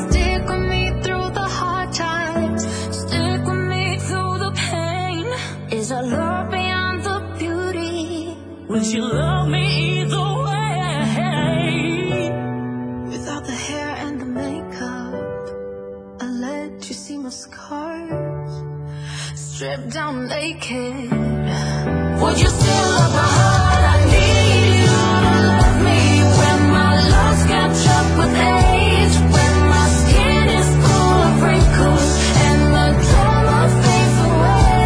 Stick with me through the hard times. Stick with me through the pain. Is our love beyond the beauty? Would you love me either way? Without the hair and the makeup, I let you see my scars. stripped down naked, would you still love my heart? I need you to love me when my lungs catch up with age, when my skin is full of wrinkles and the drama fades away.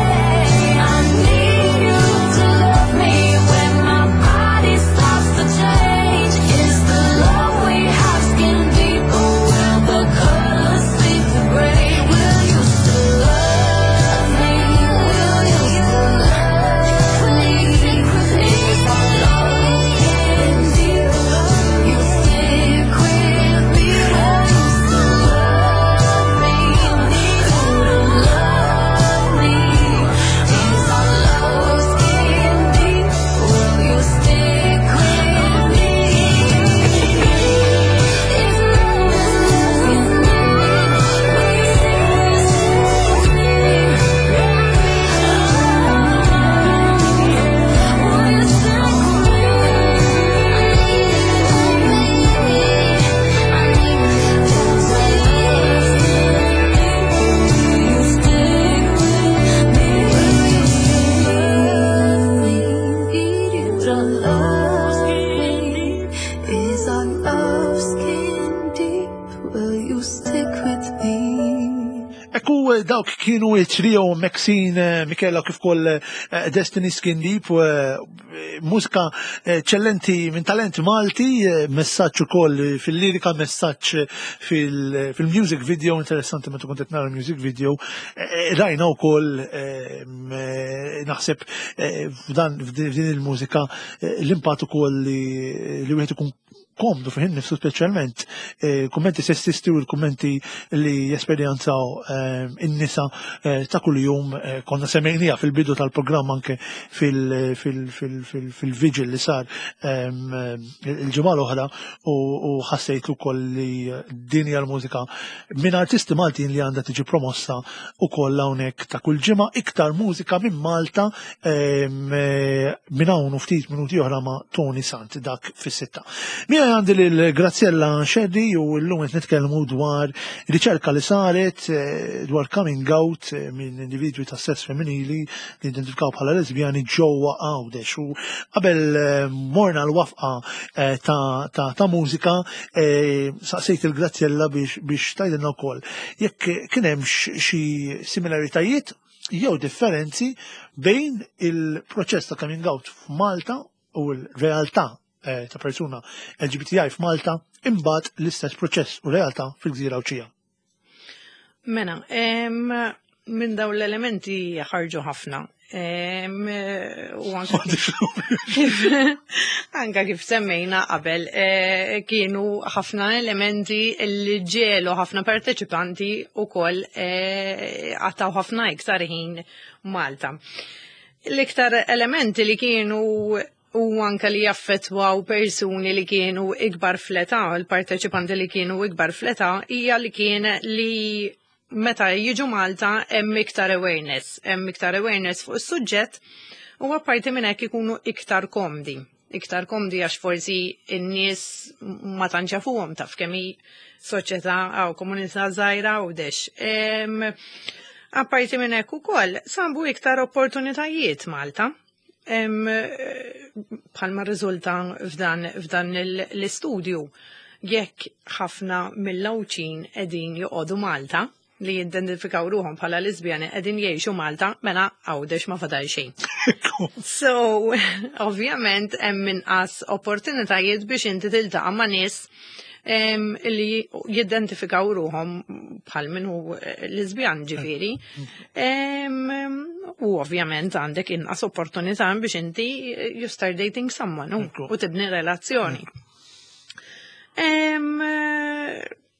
I need you to love me when my body starts to change. Is the love we have skin deep, or will the colors fade to gray? Will you still love me? Will you still love me? Is our love skin deep? You stick with me. Will you still love me? Need you to love me. Is our love skin deep? Will you stick with me? If love is skin deep, will you stick with me? Will you stick with me? I need you stick with me. Will you still love me? Need you to love me. Is our love skin deep? Will you stick with me? Ekku dawk kienu trio Maxine, Michela kif ukoll eh, Destiny Skin Deep, eh, mużika eċċellenti minn talent Malti, eh, messaġġ ukoll fil-lirika, messaġġ fil- fil-music video, interessanti meta kont qed nara music video, eh, rajna wkoll eh, m- naħseb eh, f'dan f'din il-mużika eh, l-impatt ukoll li li wieħed ikun komdu fih nifsu, speċjalment eh, kummenti sessisti u l-kummenti li jesperjenzaw eh, in-nisa eh, ta' kuljum. eh, konna semmejnija fil-bidu tal-programm anke fil- fil- fil- fil- fil-vigil li sar em, eh, il-ġimgħa l-oħra u u ħassejt ukoll li din hija l-mużika minn artisti Maltin li għandha tiġi promossa ukoll hawnhekk ta' kull ġimgħa, iktar mużika minn Malta em, eh, minn hawn u ftit minuti oħra ma' Tony Sant dak fis-sitta. Mija għandi lil Graziella Scerri u llum qed nitkellmu dwar riċerka li saret eh, dwar coming out eh, minn individwi ta' sess femminili li identifikaw bħala lesbjani ġewwa Għawdex. U qabel eh, morna l-waqfa eh, ta', ta, ta' mużika, eh, saqsejt il-Graziella biex, biex tgħidilna wkoll jekk kien hemm xi similaritajiet jew differenzi bejn il-proċess ta' coming out f'Malta u l-realtà eh, ta' persuna L G B T I f'Malta, imbagħad l-istess proċess u realtà fil-Gżira Għawdxija. Mela, em, minn dawn l-elementi ħarġu ħafna. Em, u anka kif, kif, anka kif semmejna qabel, eh, kienu ħafna elementi li ġiegħlu ħafna parteċipanti ukoll għattaw ħafna iktar ħin Malta. L-iktar elementi li kienu u anka li jaffetwaw persuni li kienu ikbar fl-età, il-parteċipanti li kienu ikbar fl-età, hija li kien li meta jiġu Malta hemm iktar awareness, hemm iktar awareness fuq is-suġġett u apparti minn hekk ikunu iktar komdi. Iktar komdi għax forsi n-nies ma tantx jafuhom, taf kemm hi soċjetà aw komunità żgħira u dex. Em, Apparti minn hekk ukoll sabu iktar opportunitajiet Malta. Em, Bħalma riżulta f'dan, f'dan l-istudju, jekk ħafna mill-Għawdxin qegħdin joqogħdu Malta, li jidentifikaw ruħhom bħala lesbjani qegħdin jgħixu Malta, mela Għawdex ma fadal xejn. So, ovvjament, hemm inqas opportunitajiet biex inti tiltaqa' ma' nies em, li jidentifikaw ruħhom bħal min hu eh, lesbjan ġifieri. Em, U ovvjament għandek inqas opportunità biex inti you start dating someone u, Ekku. u tibni relazzjoni. Em,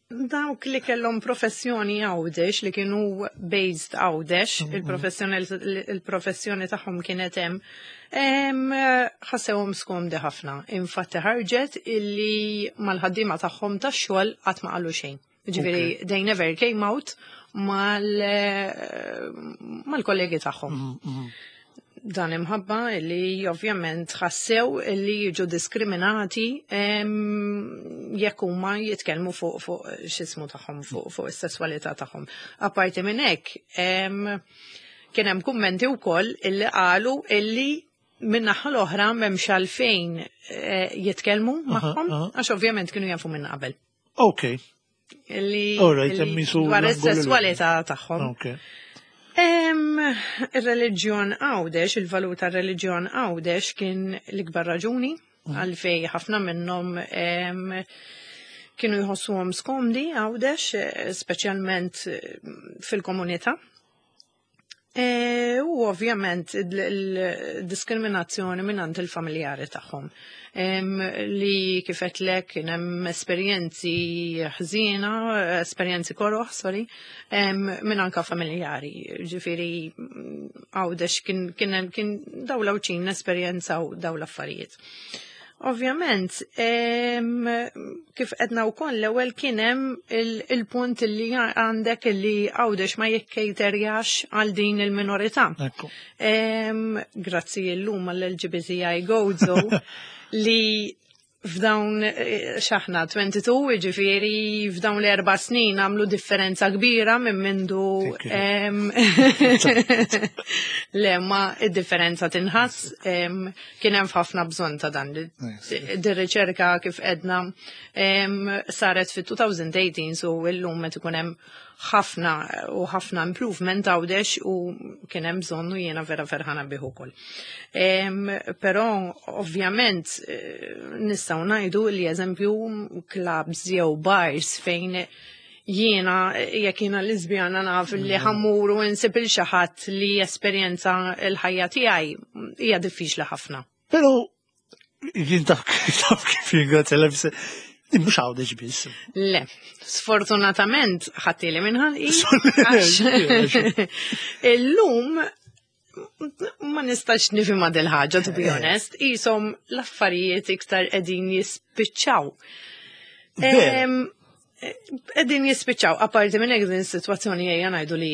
Dawk li kellhom professjoni Għawdex, li kienu based Għawdex, il-professjoni il-professjoni tagħhom kienet hemm, em, ħassewhom skomdi ħafna. Infatti ħarġet illi mal-ħaddiema tagħhom tax-xogħol qatt ma qalu xejn. Ġifieri they never came out mal mal-kollegi tagħhom. Dan imħabba li ovvjament ħassew li jiġu diskriminati em, jekk huma jitkellmu fuq fuq x'ismu tagħhom, fuq fuq is-sesswalità tagħhom. Apparti minn hekk, em, Kien hemm kummenti wkoll illi qalu illi min-naħa l-oħra m'hemmx għalfejn eh, jitkellmu magħhom aha. għax ovvjament kienu jafu minn qabel. Ok, Illi All right, illi hemm jisu dwar l-angolu is-sesswalità tagħhom. ok. Em, Il-reliġjon Għawdex, il-valur tar-reliġjon Għawdex kien l-ikbar raġuni għalfej ħafna minnhom em, kienu jħossuhom skomdi Għawdex, eh, speċjalment eh, fil-komunità. E, u ovvjament il-diskriminazzjoni minn il-familjari tagħhom. Em, li kif għedtlek kien hemm esperjenzi ħżiena, esperjenzi koroħ, sorry, em, minn anka familjari. Ġifieri Għawdex kien kien kien daw l-Għawdxin esperjenzaw daw l-affarijiet. Ovvjament, em, kif għedna wkoll l-ewwel kien hemm il- il-punt li għandek li Għawdex ma jikkejterjax għal din il-minorità. Ekku. Em, Grazzi l-lum għall-L G B T I Gozo li f'dawn eh, x'aħna tnejn u għoxrin, ġifieri f'dawn l-erba' snin għamlu differenza kbira minn mindu Thank you. em, le ma id-differenza tinħass em, kien hemm ħafna bżonn ta' dan. Nice. Dir-riċerka, kif għedna, em, saret fit-elfejn u tmintax, so illum qed ikun hemm ħafna u ħafna improvement Għawdex u kien hemm bżonn u jiena vera ferħana bih ukoll. Em, Però ovvjament eh, nistgħu ngħidu li, eżempju, clubs jew bars fejn jiena, jekk jiena lesbjana, naf li ħa mmur u nsib lil xi ħadd li esperjenza l-ħajja tiegħi, hija diffiċli ħafna. Pero, jien taf taf kif jingrazzja l din mhux Għawdex biss. Le, sfortunatament ħadthieli minn ħalqi. Għax illum ma nistax nifhimha dil-ħaġa, to be honest, jisom l-affarijiet iktar qegħdin jispiċċaw. Vera. Em, Qegħdin jispiċċaw, apparti minn hekk din is-sitwazzjoni ejja ngħidu li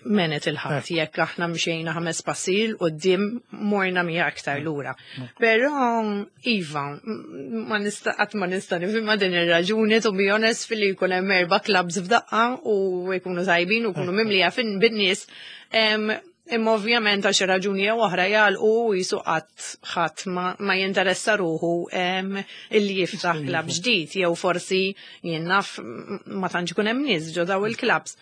menet il-ħadd jekk aħna mxejna ħames passi 'l quddiem morna mija aktar lura. Però iva, m- ma nista' qatt ma nista' nifhimha din ir-raġuni, to be honest, filli jkun hemm erba' clubs f'daqqa u jkunu tajbin u jkunu mimlija fin bin-nies. Em, Imma ovvjament għax raġuni jew oħra jagħlqu u jisu qatt ħadd ma, ma jinteressa ruħu em, illi jiftaħ club ġdid jew forsi jien naf ma tantx ikun hemm nies ġo daw il-clubs.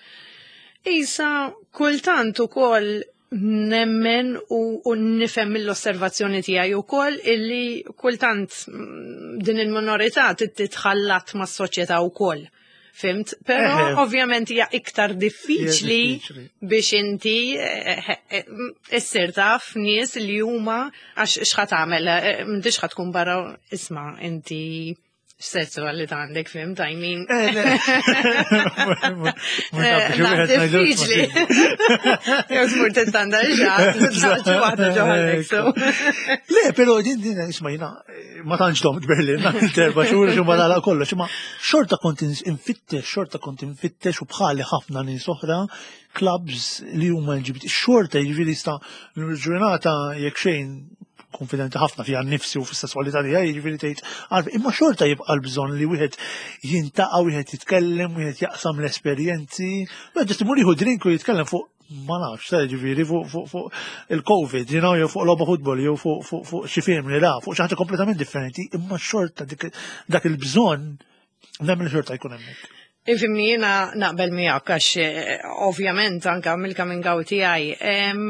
Isa kultant ukoll nemmen u, u nifhem mill-osservazzjoni tiegħi wkoll illi kultant mm, din il-minorità titħallat mas-soċjetà wkoll. Fhimt? Però Eħe. ovvjament hija iktar diffiċli diffiċli. biex inti eh, eh, issir taf nies li huma, għax x'ħa tagħmel, eh, m'intix ħa tkun barra, isma' inti x'sessualità għandek, fhimt, I mean. Eh, le. Mhux naf biex wieħed ngħidux Diffiċli. Jew tmur tistanda xaħat, xi waħda ġo ħalqek, so. Le, pero din din isma' jiena eh, ma tantx domt Berlin, erba' xhur xi ma nagħlaq kollox, imma xorta kont infittex, xorta kont infittex u bħali ħafna nies oħra clubs li huma L G B T. Xorta jiġifieri sta l-ġurnata jekk xejn konfidenti ħafna fija nnifsi u fis-sesswalità tiegħi, jiġifieri tgħid għarf, imma xorta jibqa' l-bżonn li wieħed jiltaqa', wieħed jitkellem, wieħed jaqsam l-esperjenzi, wieħed just imur jieħu drink u jitkellem fuq, ma nafx, ta' ġifieri fuq fuq fuq il-Covid, you know, jew fuq logħba futbol, jew fuq fuq fuq xi film li ra, fuq xi ħaġa kompletament differenti, imma xorta dik dak il-bżonn nemmen xorta jkun hemmhekk. Ifhimni, jiena naqbel miegħek għax eh, ovvjament anka mill-coming out tiegħi em,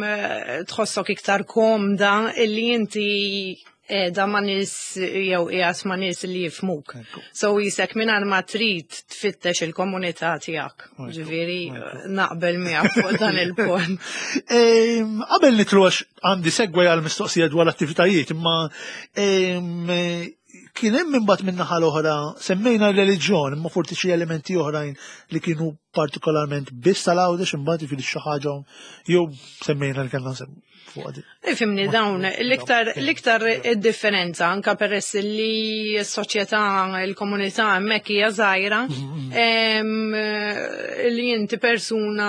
tħossok iktar komda illi inti da ma' nies jew qiegħed ma' nies li jifhmuk. Ekku. So jisek mingħajr ma trid tfittex il-komunità tiegħek. Ekku, Ġifieri ekku. naqbel miegħek fuq dan il-punt. Em, Qabel nitlu, għax għandi segue għal mistoqsija dwar attivitajiet, imma em, kien hemm imbagħad min-naħa l-oħra semmejna r-reliġjon, imma forsi xi elementi oħrajn li kienu partikolarment biss tal-Għawdex imbagħad, jiġifieri xi ħaġa jew semmejna li kellna nsemmu fuq għadi. Ifhimni, dawn, l-iktar l-iktar id-differenza, anka peress li s-soċjetà, il-komunità hemmhekk hija żgħira, em, li inti persuna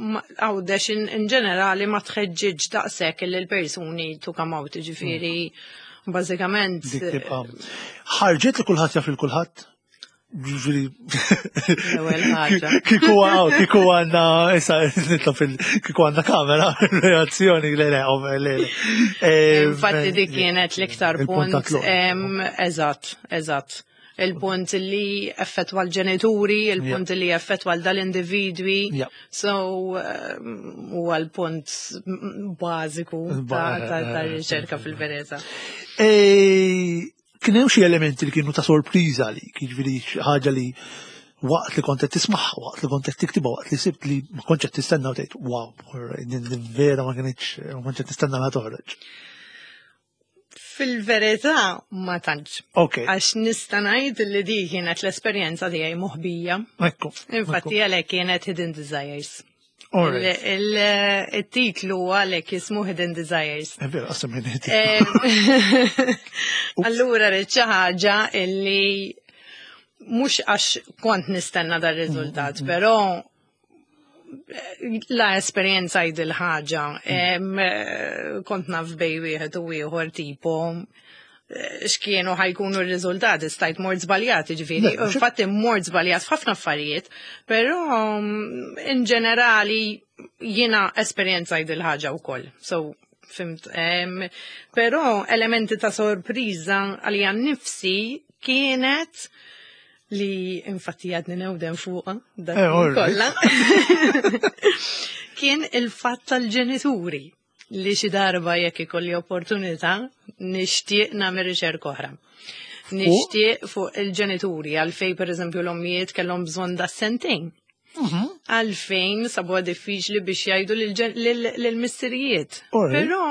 ma- Għawdex in in ġenerali ma tħeġġiġ daqshekk li l-persuni to come out, ġifieri bażikament. Dik tibqa'. Ħarġet li kulħadd jaf lil kulħadd? Ġifieri L-ewwel ħaġa. Kieku għaw, kieku għandna, issa nitla fil, kieku għandna kamera, reazzjoni, le, le, ov- le, le. Eh, Infatti dik kienet l-iktar il-punt punt. ta' tluq. em, Eżatt, eżatt. Il-punt li effettwa l-ġenituri, il-punt li effettwa dal-individwi. Ja. So, em, huwa l-punt bażiku ta' ta' ta' riċerka fil-verità. Eh, Kien hemm xi elementi li kienu ta' sorpriża li, jiġifieri xi ħaġa li waqt li kont qed tismagħha, waqt li kont qed tiktibha, waqt li sibt li ma kontx qed tistenna u tgħid, wow, din din vera ma kienx ma kontx qed tistenna la toħroġ. Fil-verità ma tantx. Ok, Għax nista' ngħid li di kienet l-esperjenza tiegħi moħbija. Ekku. Infatti għalhekk kienet Hidden Desires. All right. Il- il- Il-titlu għalhekk jismu Hidden Desires. È vero, qasam minn Em, Allura rrid xi ħaġa illi mhux għax kont nistenna dar riżultat, però eh, la esperjenza il ħaġa Em, eh, kont naf bej wieħed u ieħor tipo eh, x'kienu ħa jkunu r-riżultati, stajt mort żbaljat, ġifieri. Le, mhux- Infatti mort żbaljat f'ħafna affarijiet, però mm, in ġenerali jiena esperjenza il ħaġa wkoll. So, fhimt. Em, però elementi ta' sorpriża għalija nnifsi kienet li infatti għadni newden fuqa, dak Eh, all right. kollha. Kien il-fatt tal-ġenituri li xi darba jekk ikolli opportunità nixtieq nagħmel riċerka oħra. Nixtieq fuq il-ġenituri għalfejn pereżempju l-ommijiet kellhom bżonn da sentejn. Għalfejn sabuha diffiċli biex jgħidu lil-missirijiet. All right. Però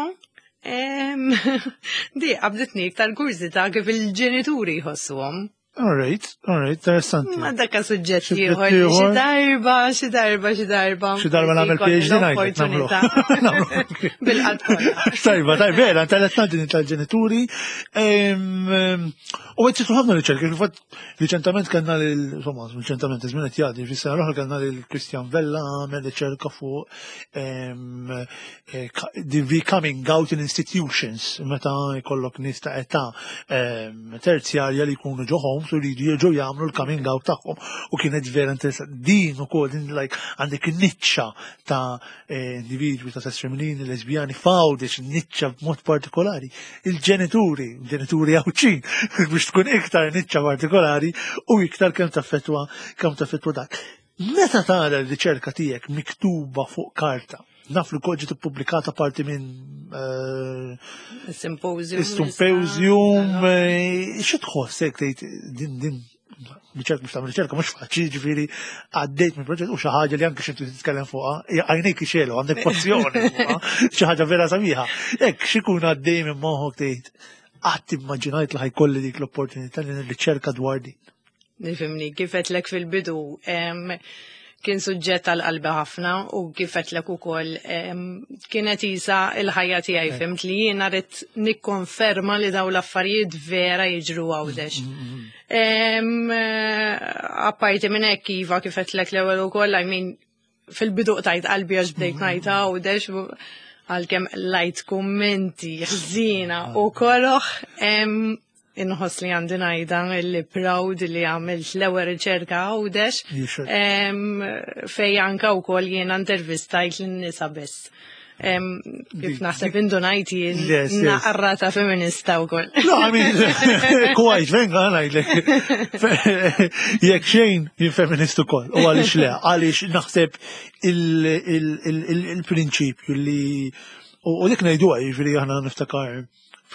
em, di qabditni iktar kurżità kif il-ġenituri jħossuhom. All right, all right, interessanti. Ma dakka suġġett Suġġett ieħor li xi ieħor. darba, xi darba, xi darba. Xi darba nagħmel Jkolli P H D ngħidlek nagħmlu. l-opportunità. Bil-qalb kollha. Tajba, tajba, vera, interessanti din tal-ġenituri. Em, em, U għed situ ħafna riċerki, fil-fatt, riċentament kellna lil, insomma, riċentament, iż-żmien qed jgħaddi, fis-sena l-oħra kellna lil Christian Vella għamel riċerka fuq em, eh, ka- the coming out in institutions, meta jkollok nies ta' età em, terzjarja li jkunu ġo homes u jridu jerġgħu jagħmlu l-coming out tagħhom u kienet vera interessanti. Din ukoll din like għandek niċċa ta' eh, individwi ta' sess femminili, lesbjani, f'Għawdex, niċċa b'mod partikolari. Il-ġenituri, ġenituri Għawdxin, biex tkun iktar niċċa partikolari u iktar kemm taffetwa kemm taffetwa dak. Meta tara l-riċerka tiegħek miktuba fuq karta, naf li kol ġiet ippubblikata parti minn eh, Symposium. il-symposium, eh, xi tħossek tgħid din din riċerka biex tagħmel riċerka mhux faċli, ġifieri għaddejt minn proġett u xi ħaġa li anke xi titkellem fuqha, għajnejk ixegħlu, għandek passjoni fuqha, xi ħaġa vera sabiħa. Hekk x'ikun għaddej minn moħħok tgħid qatt immaġinajt li ħa jkolli dik l-opportunità li nirriċerka dwar din? Nifhimni, kif għedtlek fil-bidu, em, kien suġġett għal qalbi ħafna u kif għedtlek ukoll em, kienet isa il-ħajja tiegħi, fhimt, li jiena rrid nikkonferma li daw l-affarijiet vera jiġru Għawdex. Em, eh, Apparti minn hekk iva, kif għedtlek l-ewwel ukoll, I mean, fil-bidu tajt qalbi għax bdejt ngħid Għawdex għalkemm lajt kummenti ħżina u koroħ, em, inħoss li għandi ngħidha li proud li għamilt l-ewwel riċerka Għawdex You should. em, fej anka wkoll jiena intervistajt lin-nisa biss. Em, Kif naħseb indunajt jien Yes, yes. naqra ta' feminista wkoll. No, I mean, quite, venga, ngħidlek. Jekk xejn, jien feminist ukoll. U għaliex le, għaliex naħseb il-prinċipju li u u dik ngħiduha, jiġifieri aħna niftakar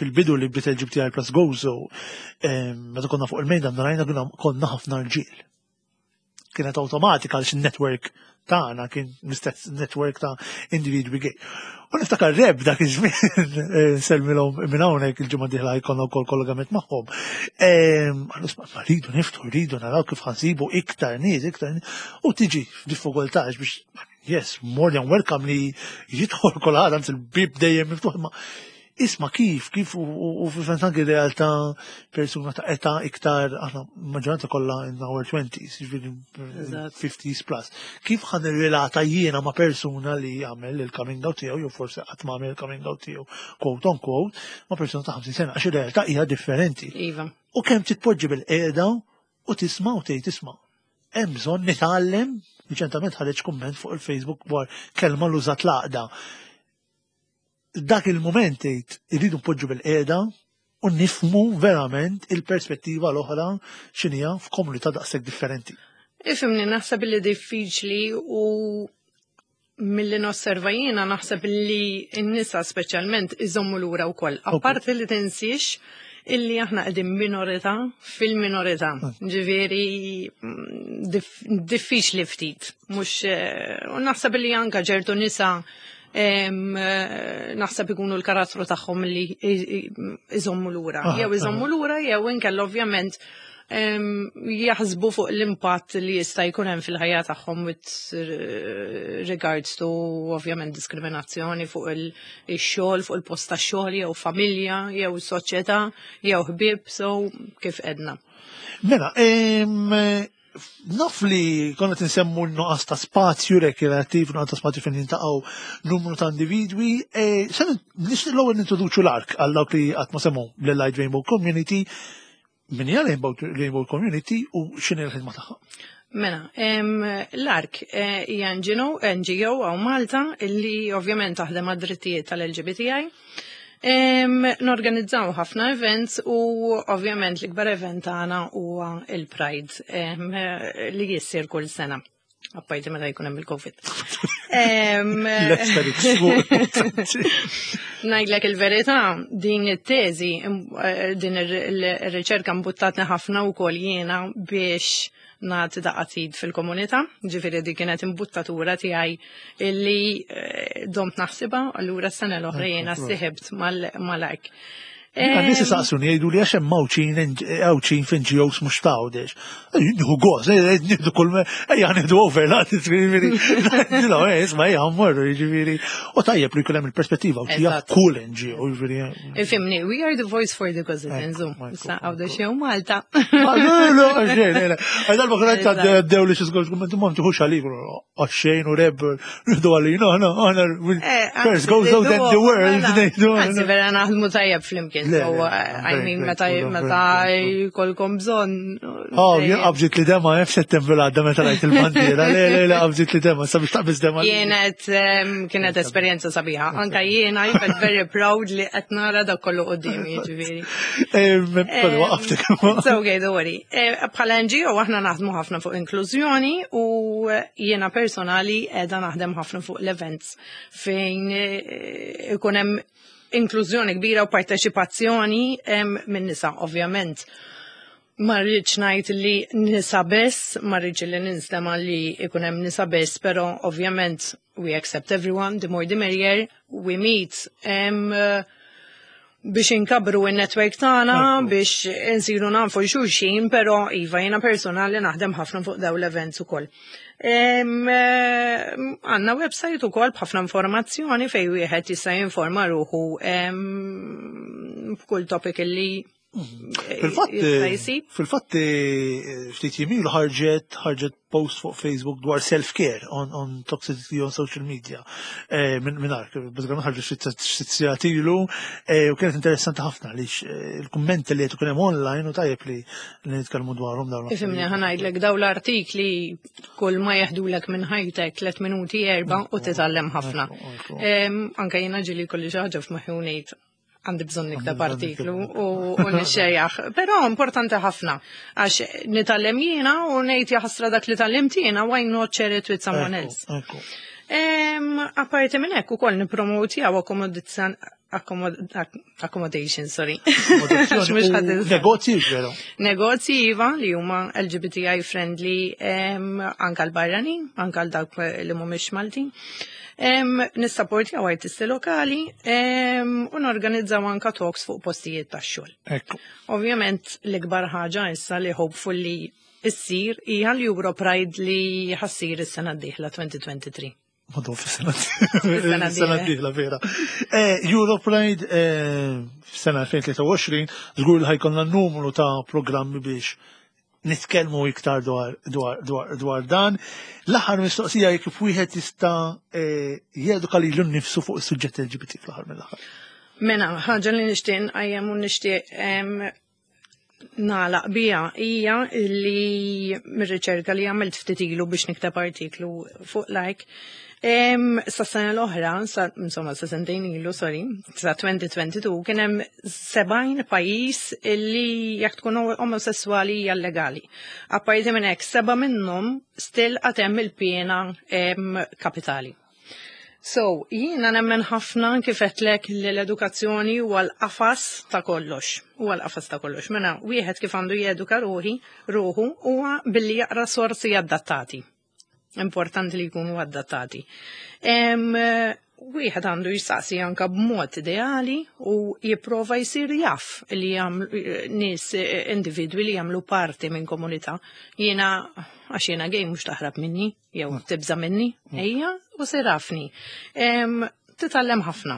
fil-bidu li bdiet L G B T I plus Gozo, meta konna fuq il-mejda rajna konna konna ħafna rġiel. Kienet automatika għaliex il-network tagħna kien l-istess network ta' individwi gay. U niftakar reb dak iż-żmien, sellmilhom minn hawnhekk, il-ġimgħa dieħla jkollna wkoll kollegament magħhom. Għallu, "Isma', ma rridu niftħu, rridu naraw kif ħa nsibu iktar nies, iktar nies." U tiġi f'diffikultà biex, yes, more than welcome li jidħol kulħadd, anzi il-bib dejjem miftuħ, ma isma' kif, kif u u fil anki realtà persuna ta' età iktar, aħna maġġoranza kollha in our twenties, jiġifieri Eżatt. fifties plus. Kif ħa nirrelata jiena ma' persuna li għamel il-coming out tiegħu jew forsi qatt ma għamel il-coming out tiegħu, quote on quote, ma' persuna ta' ħamsin sena, għax ir-realtà hija differenti. Iva. U kemm titpoġġi bil-qiegħda u U tisma' u tgħid tisma'. Hemm bżonn nitgħallem, riċentament ħareġ kumment fuq il-Facebook dwar kelma l-użat l-għaqda. Dak il-moment tgħid irridu npoġġu bil-qiegħda u nifmu verament il-perspettiva l-oħra x'inhija f'komunità daqshekk differenti. Ifhimni, naħseb li diffiċli u milli nosserva jiena naħseb li n-nisa speċjalment iżommu lura wkoll. Apparti li tinsiex illi aħna qegħdin minorità fil-minorità. Ġifieri mm, dif- diffiċli ftit. Mhux eh, u naħseb li anka ċertu nisa em, eh, naħseb ikunu l-karattru tagħhom li i- i- iżommu lura. Aha, Jew iżommu lura jew inkella ovvjament em, jaħsbu fuq l-impatt li jista' jkun hemm fil-ħajja tagħhom with eh, regards to ovvjament diskriminazzjoni fuq il-xogħol, fuq il-post tax-xogħol jew familja, jew soċjetà, jew ħbieb, so kif edna. Mela, em, naf li konna tinsemmu n-nuqqas ta' spazju rekreativ, nuqqas ta' spazju fejn jintaqgħu numru ta' individwi, e, se nixtieq l-ewwel nintroduċu l-ARK għal dawk li qatt ma semgħu l-Light Rainbow Community, min hija Rainbow, Rainbow Community u x'inhi l-ħidma tagħha. Mela, em, l-ARK eh, hija NGO, N G O hawn Malta illi ovvjament taħdem għad-drittijiet tal-L G B T I. Em, Norganizzaw ħafna events u ovvjament l-ikbar event tagħna huwa il-Pride em, eh, li jissir kull sena. Apparti meta jkun hemm il-Covid. Em, L-asterix. Ngħidlek il-verità, din it-teżi, im- eh, din ir-riċerka mbuttatni ħafna wkoll jiena biex nagħti daqqa t'id fil-komunità, ġifieri di kienet imbuttatura tiegħi illi eh, domt naħsibha, allura s-sena l-oħra jiena siħibt mal-ARK. Nies saqsuni jgħidu li għax hemm Għawdxin Għawdxin f'N G Os mhux t'Għawdex. Nieħu gost, nieħdu kull ejja nieħdu over la ġifieri. No, isma' ejja mmorru jiġifieri. U tajjeb li jkun hemm il-perspettiva u tija Eżatt. kull N G O jiġifieri. Ifhimni, we are the voice for the citizens. Issa Għawdex jew Malta. Ah, le, le, xejn, le, le. Għaj darba kuna għaddew li xi żewġ kummenti ma mtuħux għalik, għax-xejn u reb, nieħdu għalina, aħna, aħna, first goes out then the world, ngħidu. Anzi, vera naħdmu tajjeb flimkien. Le, So, le, I very mean, meta grateful, meta very jkollkom bżonn. Oh, jien qabżit li dema eh, f'Settembru għadda meta rajt il-bandiera. Le, le, le, qabżit li dema, sabiex taqbiż dema. Kienet em, kienet esperjenza sabiħa. Anka jiena, I felt very proud li qed nara dak kollu quddiemi, ġifieri. Sorry, waqaftek. It's okay, don't worry. Eh, Bħala N G O aħna naħdmu ħafna fuq inklużjoni u jiena personali qiegħda naħdem ħafna fuq l-events fejn eh, ikun hemm inklużjoni kbira u parteċipazzjoni em, minn nisa, ovvjament. Ma rridx ngħid li nisa biss, ma rridx li ninstema li ikun hemm nisa biss, però ovvjament we accept everyone, the more the merrier, we meet em, eh, biex inkabru il-network tagħna, biex insiru nafu xulxin, però iva jiena personali naħdem ħafna fuq daw l-events ukoll. Em, eh, Għandna website ukoll b'ħafna informazzjoni fej wieħed jista' jinforma ruħu em, b'kull topic illi Fil-fatt, jista' jsib. fil-fatt, eh, ftit jiem ilu ħarġet ħarġet post fuq Facebook dwar self-care on, on toxicity on social media. Eh, Minn minn ARK, bażikament ħarġet xi sigħat ilu eh, u kienet interessanti ħafna għaliex eh, il-kummenti li qed ikun hemm online u tajjeb li li nitkellmu dwarhom dawn. Ifhimni, ħa ngħidlek daw l-artikli kull ma jeħdulek minn ħajtek tliet minuti erba u titgħallem ħafna. Ekku, ekku. Em, Anka jiena ġieli kelli xi ħaġa f'moħħi u ngħid għandi bżonn nikteb bżonn artiklu nikteb. u u nixxejjaħ. Però importanti ħafna għax nitgħallem jiena u ngħid jaħasra dak li tgħallimt jiena, why not share it with someone Ekku, else. ekku. Em, Apparti minn hekk ukoll nippromotjaw akkomodizan- accommod- accommodation, sorry. Għax mhux U ħadd is- Negozji, vero. Negozji iva li huma L G B T I friendly em, anka l-barranin, anka l-dawk li mhumiex Maltin. Em, Nissapportjaw artisti lokali em, u norganizzaw anka talks fuq postijiet tax-xogħol. Ekku. Ovvjament l-ikbar ħaġa issa li hopefully issir hija l-Euro Pride li ħa ssir is-sena d-dieħla elfejn u tlieta u għoxrin. Madon fis-sena Fis-sena sena d-dieħla vera. Eh, Euro Pride eh, f'sena elfejn u tlieta u għoxrin żgur li ħa jkollna numru ta' programmi biex nitkellmu iktar dwar dwar dwar dwar dan. L-aħħar mistoqsija hi kif wieħed jista' eh, jeduka lilu nnifsu fuq is-suġġett L G B T fl-aħħar mill-aħħar. Mela, ħaġa li nixtieq nqajjem u nixtieq em, nagħlaq biha hija li mir-riċerka li għamilt ftit ilu biex nikteb artiklu fuq like, Em, sa sena l-oħra, sa, insomma, sa sentejn ilu, sorry, sa elfejn u tnejn u għoxrin, kien hemm sebgħin pajjiż illi jekk tkun omosessuali hija legali. Apparti minn hekk, seba' minnhom still għad hemm il-piena em, kapitali. So, jiena nemmen ħafna kif għedtlek li l-edukazzjoni huwa l-qafas ta' kollox. Huwa l-qafas ta' kollox. Mela, wieħed kif għandu jeduka ruħi, ruħu, huwa billi jaqra sorsi adattati. Importanti li jkunu adattati. Em, Wieħed għandu jistaqsi anka b'mod ideali u jipprova jsir jaf li jam nies, eh, individwi li jagħmlu parti minn komunità. Jiena għax jiena gay mhux taħrab minni jew tibża minni, ejja u sir afni. Em, Titgħallem ħafna.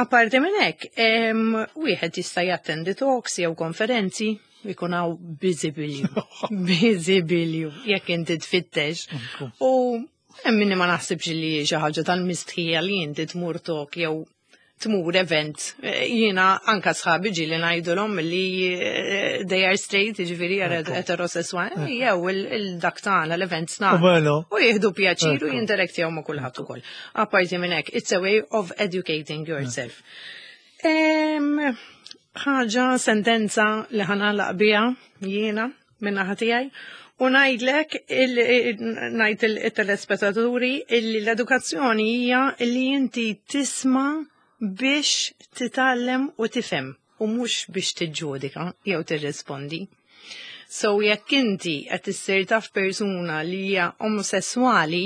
Apparti minn hekk, em, wieħed jista' jattendi talks jew konferenzi, jkun hawn biżibilju. Biżibilju, jekk inti tfittex. U hemm minni ma naħsibx li xi ħaġa tal-mistħija li inti tmur talk jew tmur event. Eh, Jiena anka sħabi ġieli ngħidulhom li eh, they are straight, jiġifieri eterosessuali, jew il-dak tagħna, l-events U tagħna. mela. U jieħdu pjaċir u Ekku. jinteraktjaw ma' kulħadd ukoll. Apparti minn hekk, it's a way of educating yourself. Em, Ħaġa, sentenza li ħa nagħlaq biha jiena minn naħa tiegħi u ngħidlek il- ngħid il-telespettaturi illi l-edukazzjoni hija li inti tisma' biex titgħallem u tifhem u mhux biex tiġġudika jew tirrispondi. So jekk inti qed issir taf persuna li hija omosessuali,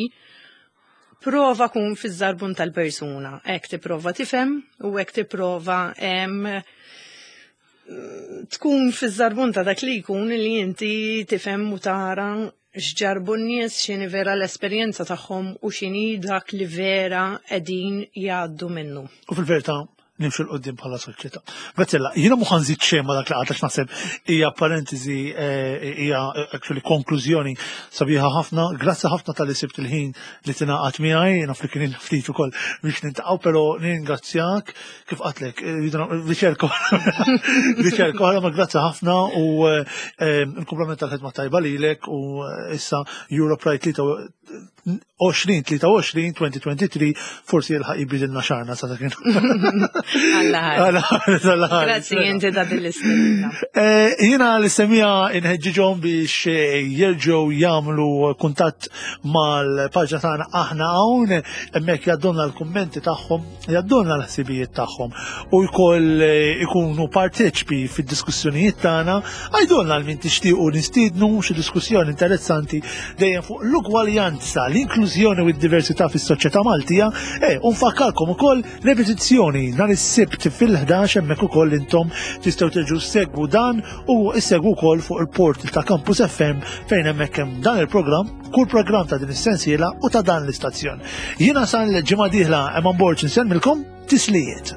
prova kun fiż-żarbun tal-persuna. Hekk tipprova tifhem u hekk tipprova em, tkun fiż-żarbun ta' dak li jkun li inti tifhem u tara x'ġarbu n-nies, x'inhi vera l-esperjenza tagħhom u x'inhi dak li vera qegħdin jgħaddu minnu. U fil-verità nimxu 'l quddiem bħala soċjetà. Grazzella, jiena mhu ħa nżid xejn ma dak li għedt għax naħseb hija parentesi, eh, hija actually konklużjoni sabiħa ħafna. Grazzi ħafna talli sibt il-ħin li tingħaqad miegħi, naf li kien ftit ukoll biex niltaqgħu, però ningrazzjak kif għedtlek, eh, riċerka riċerka oħra, ma grazzi ħafna u eh, nkompliment tal-ħidma tajba lilek u eh, issa Europride elfejn u tlieta u għoxrin, elfejn u tlieta u għoxrin, forsi jilħaq jibdilna xagħarna sa dak. Alla ħares. Grazzi inti ta' dil-istedina. Eh, Jiena lis-semmiegħa inħeġġiġhom biex eh, jerġgħu jagħmlu kuntatt mal-paġna tagħna Aħna Hawn, hemmhekk jgħaddulna l-kummenti tagħhom, jgħaddulna l-ħsibijiet tagħhom u jkoll eh, ikunu parteċpi fid-diskussjonijiet tagħna, għidulna lil min tixtiequ nistiednu xi diskussjoni interessanti dejjem fuq l-ugwaljanza, l-inklużjoni u d-diversità fis-soċjetà Maltija. E, u nfakkarkom ukoll repetizzjoni nhar is-Sibt fil-ħdax, hemmhekk ukoll intom tistgħu terġgħu segwu dan u issegwu wkoll fuq il-portal ta' Campus F M fejn hemmhekk hemm dan il-programm, kull programm ta' din is-sensiela u ta' dan l-istazzjon. Jiena sal-ġimgħa dieħla, Eman Borg, insellmilkom, tislijiet.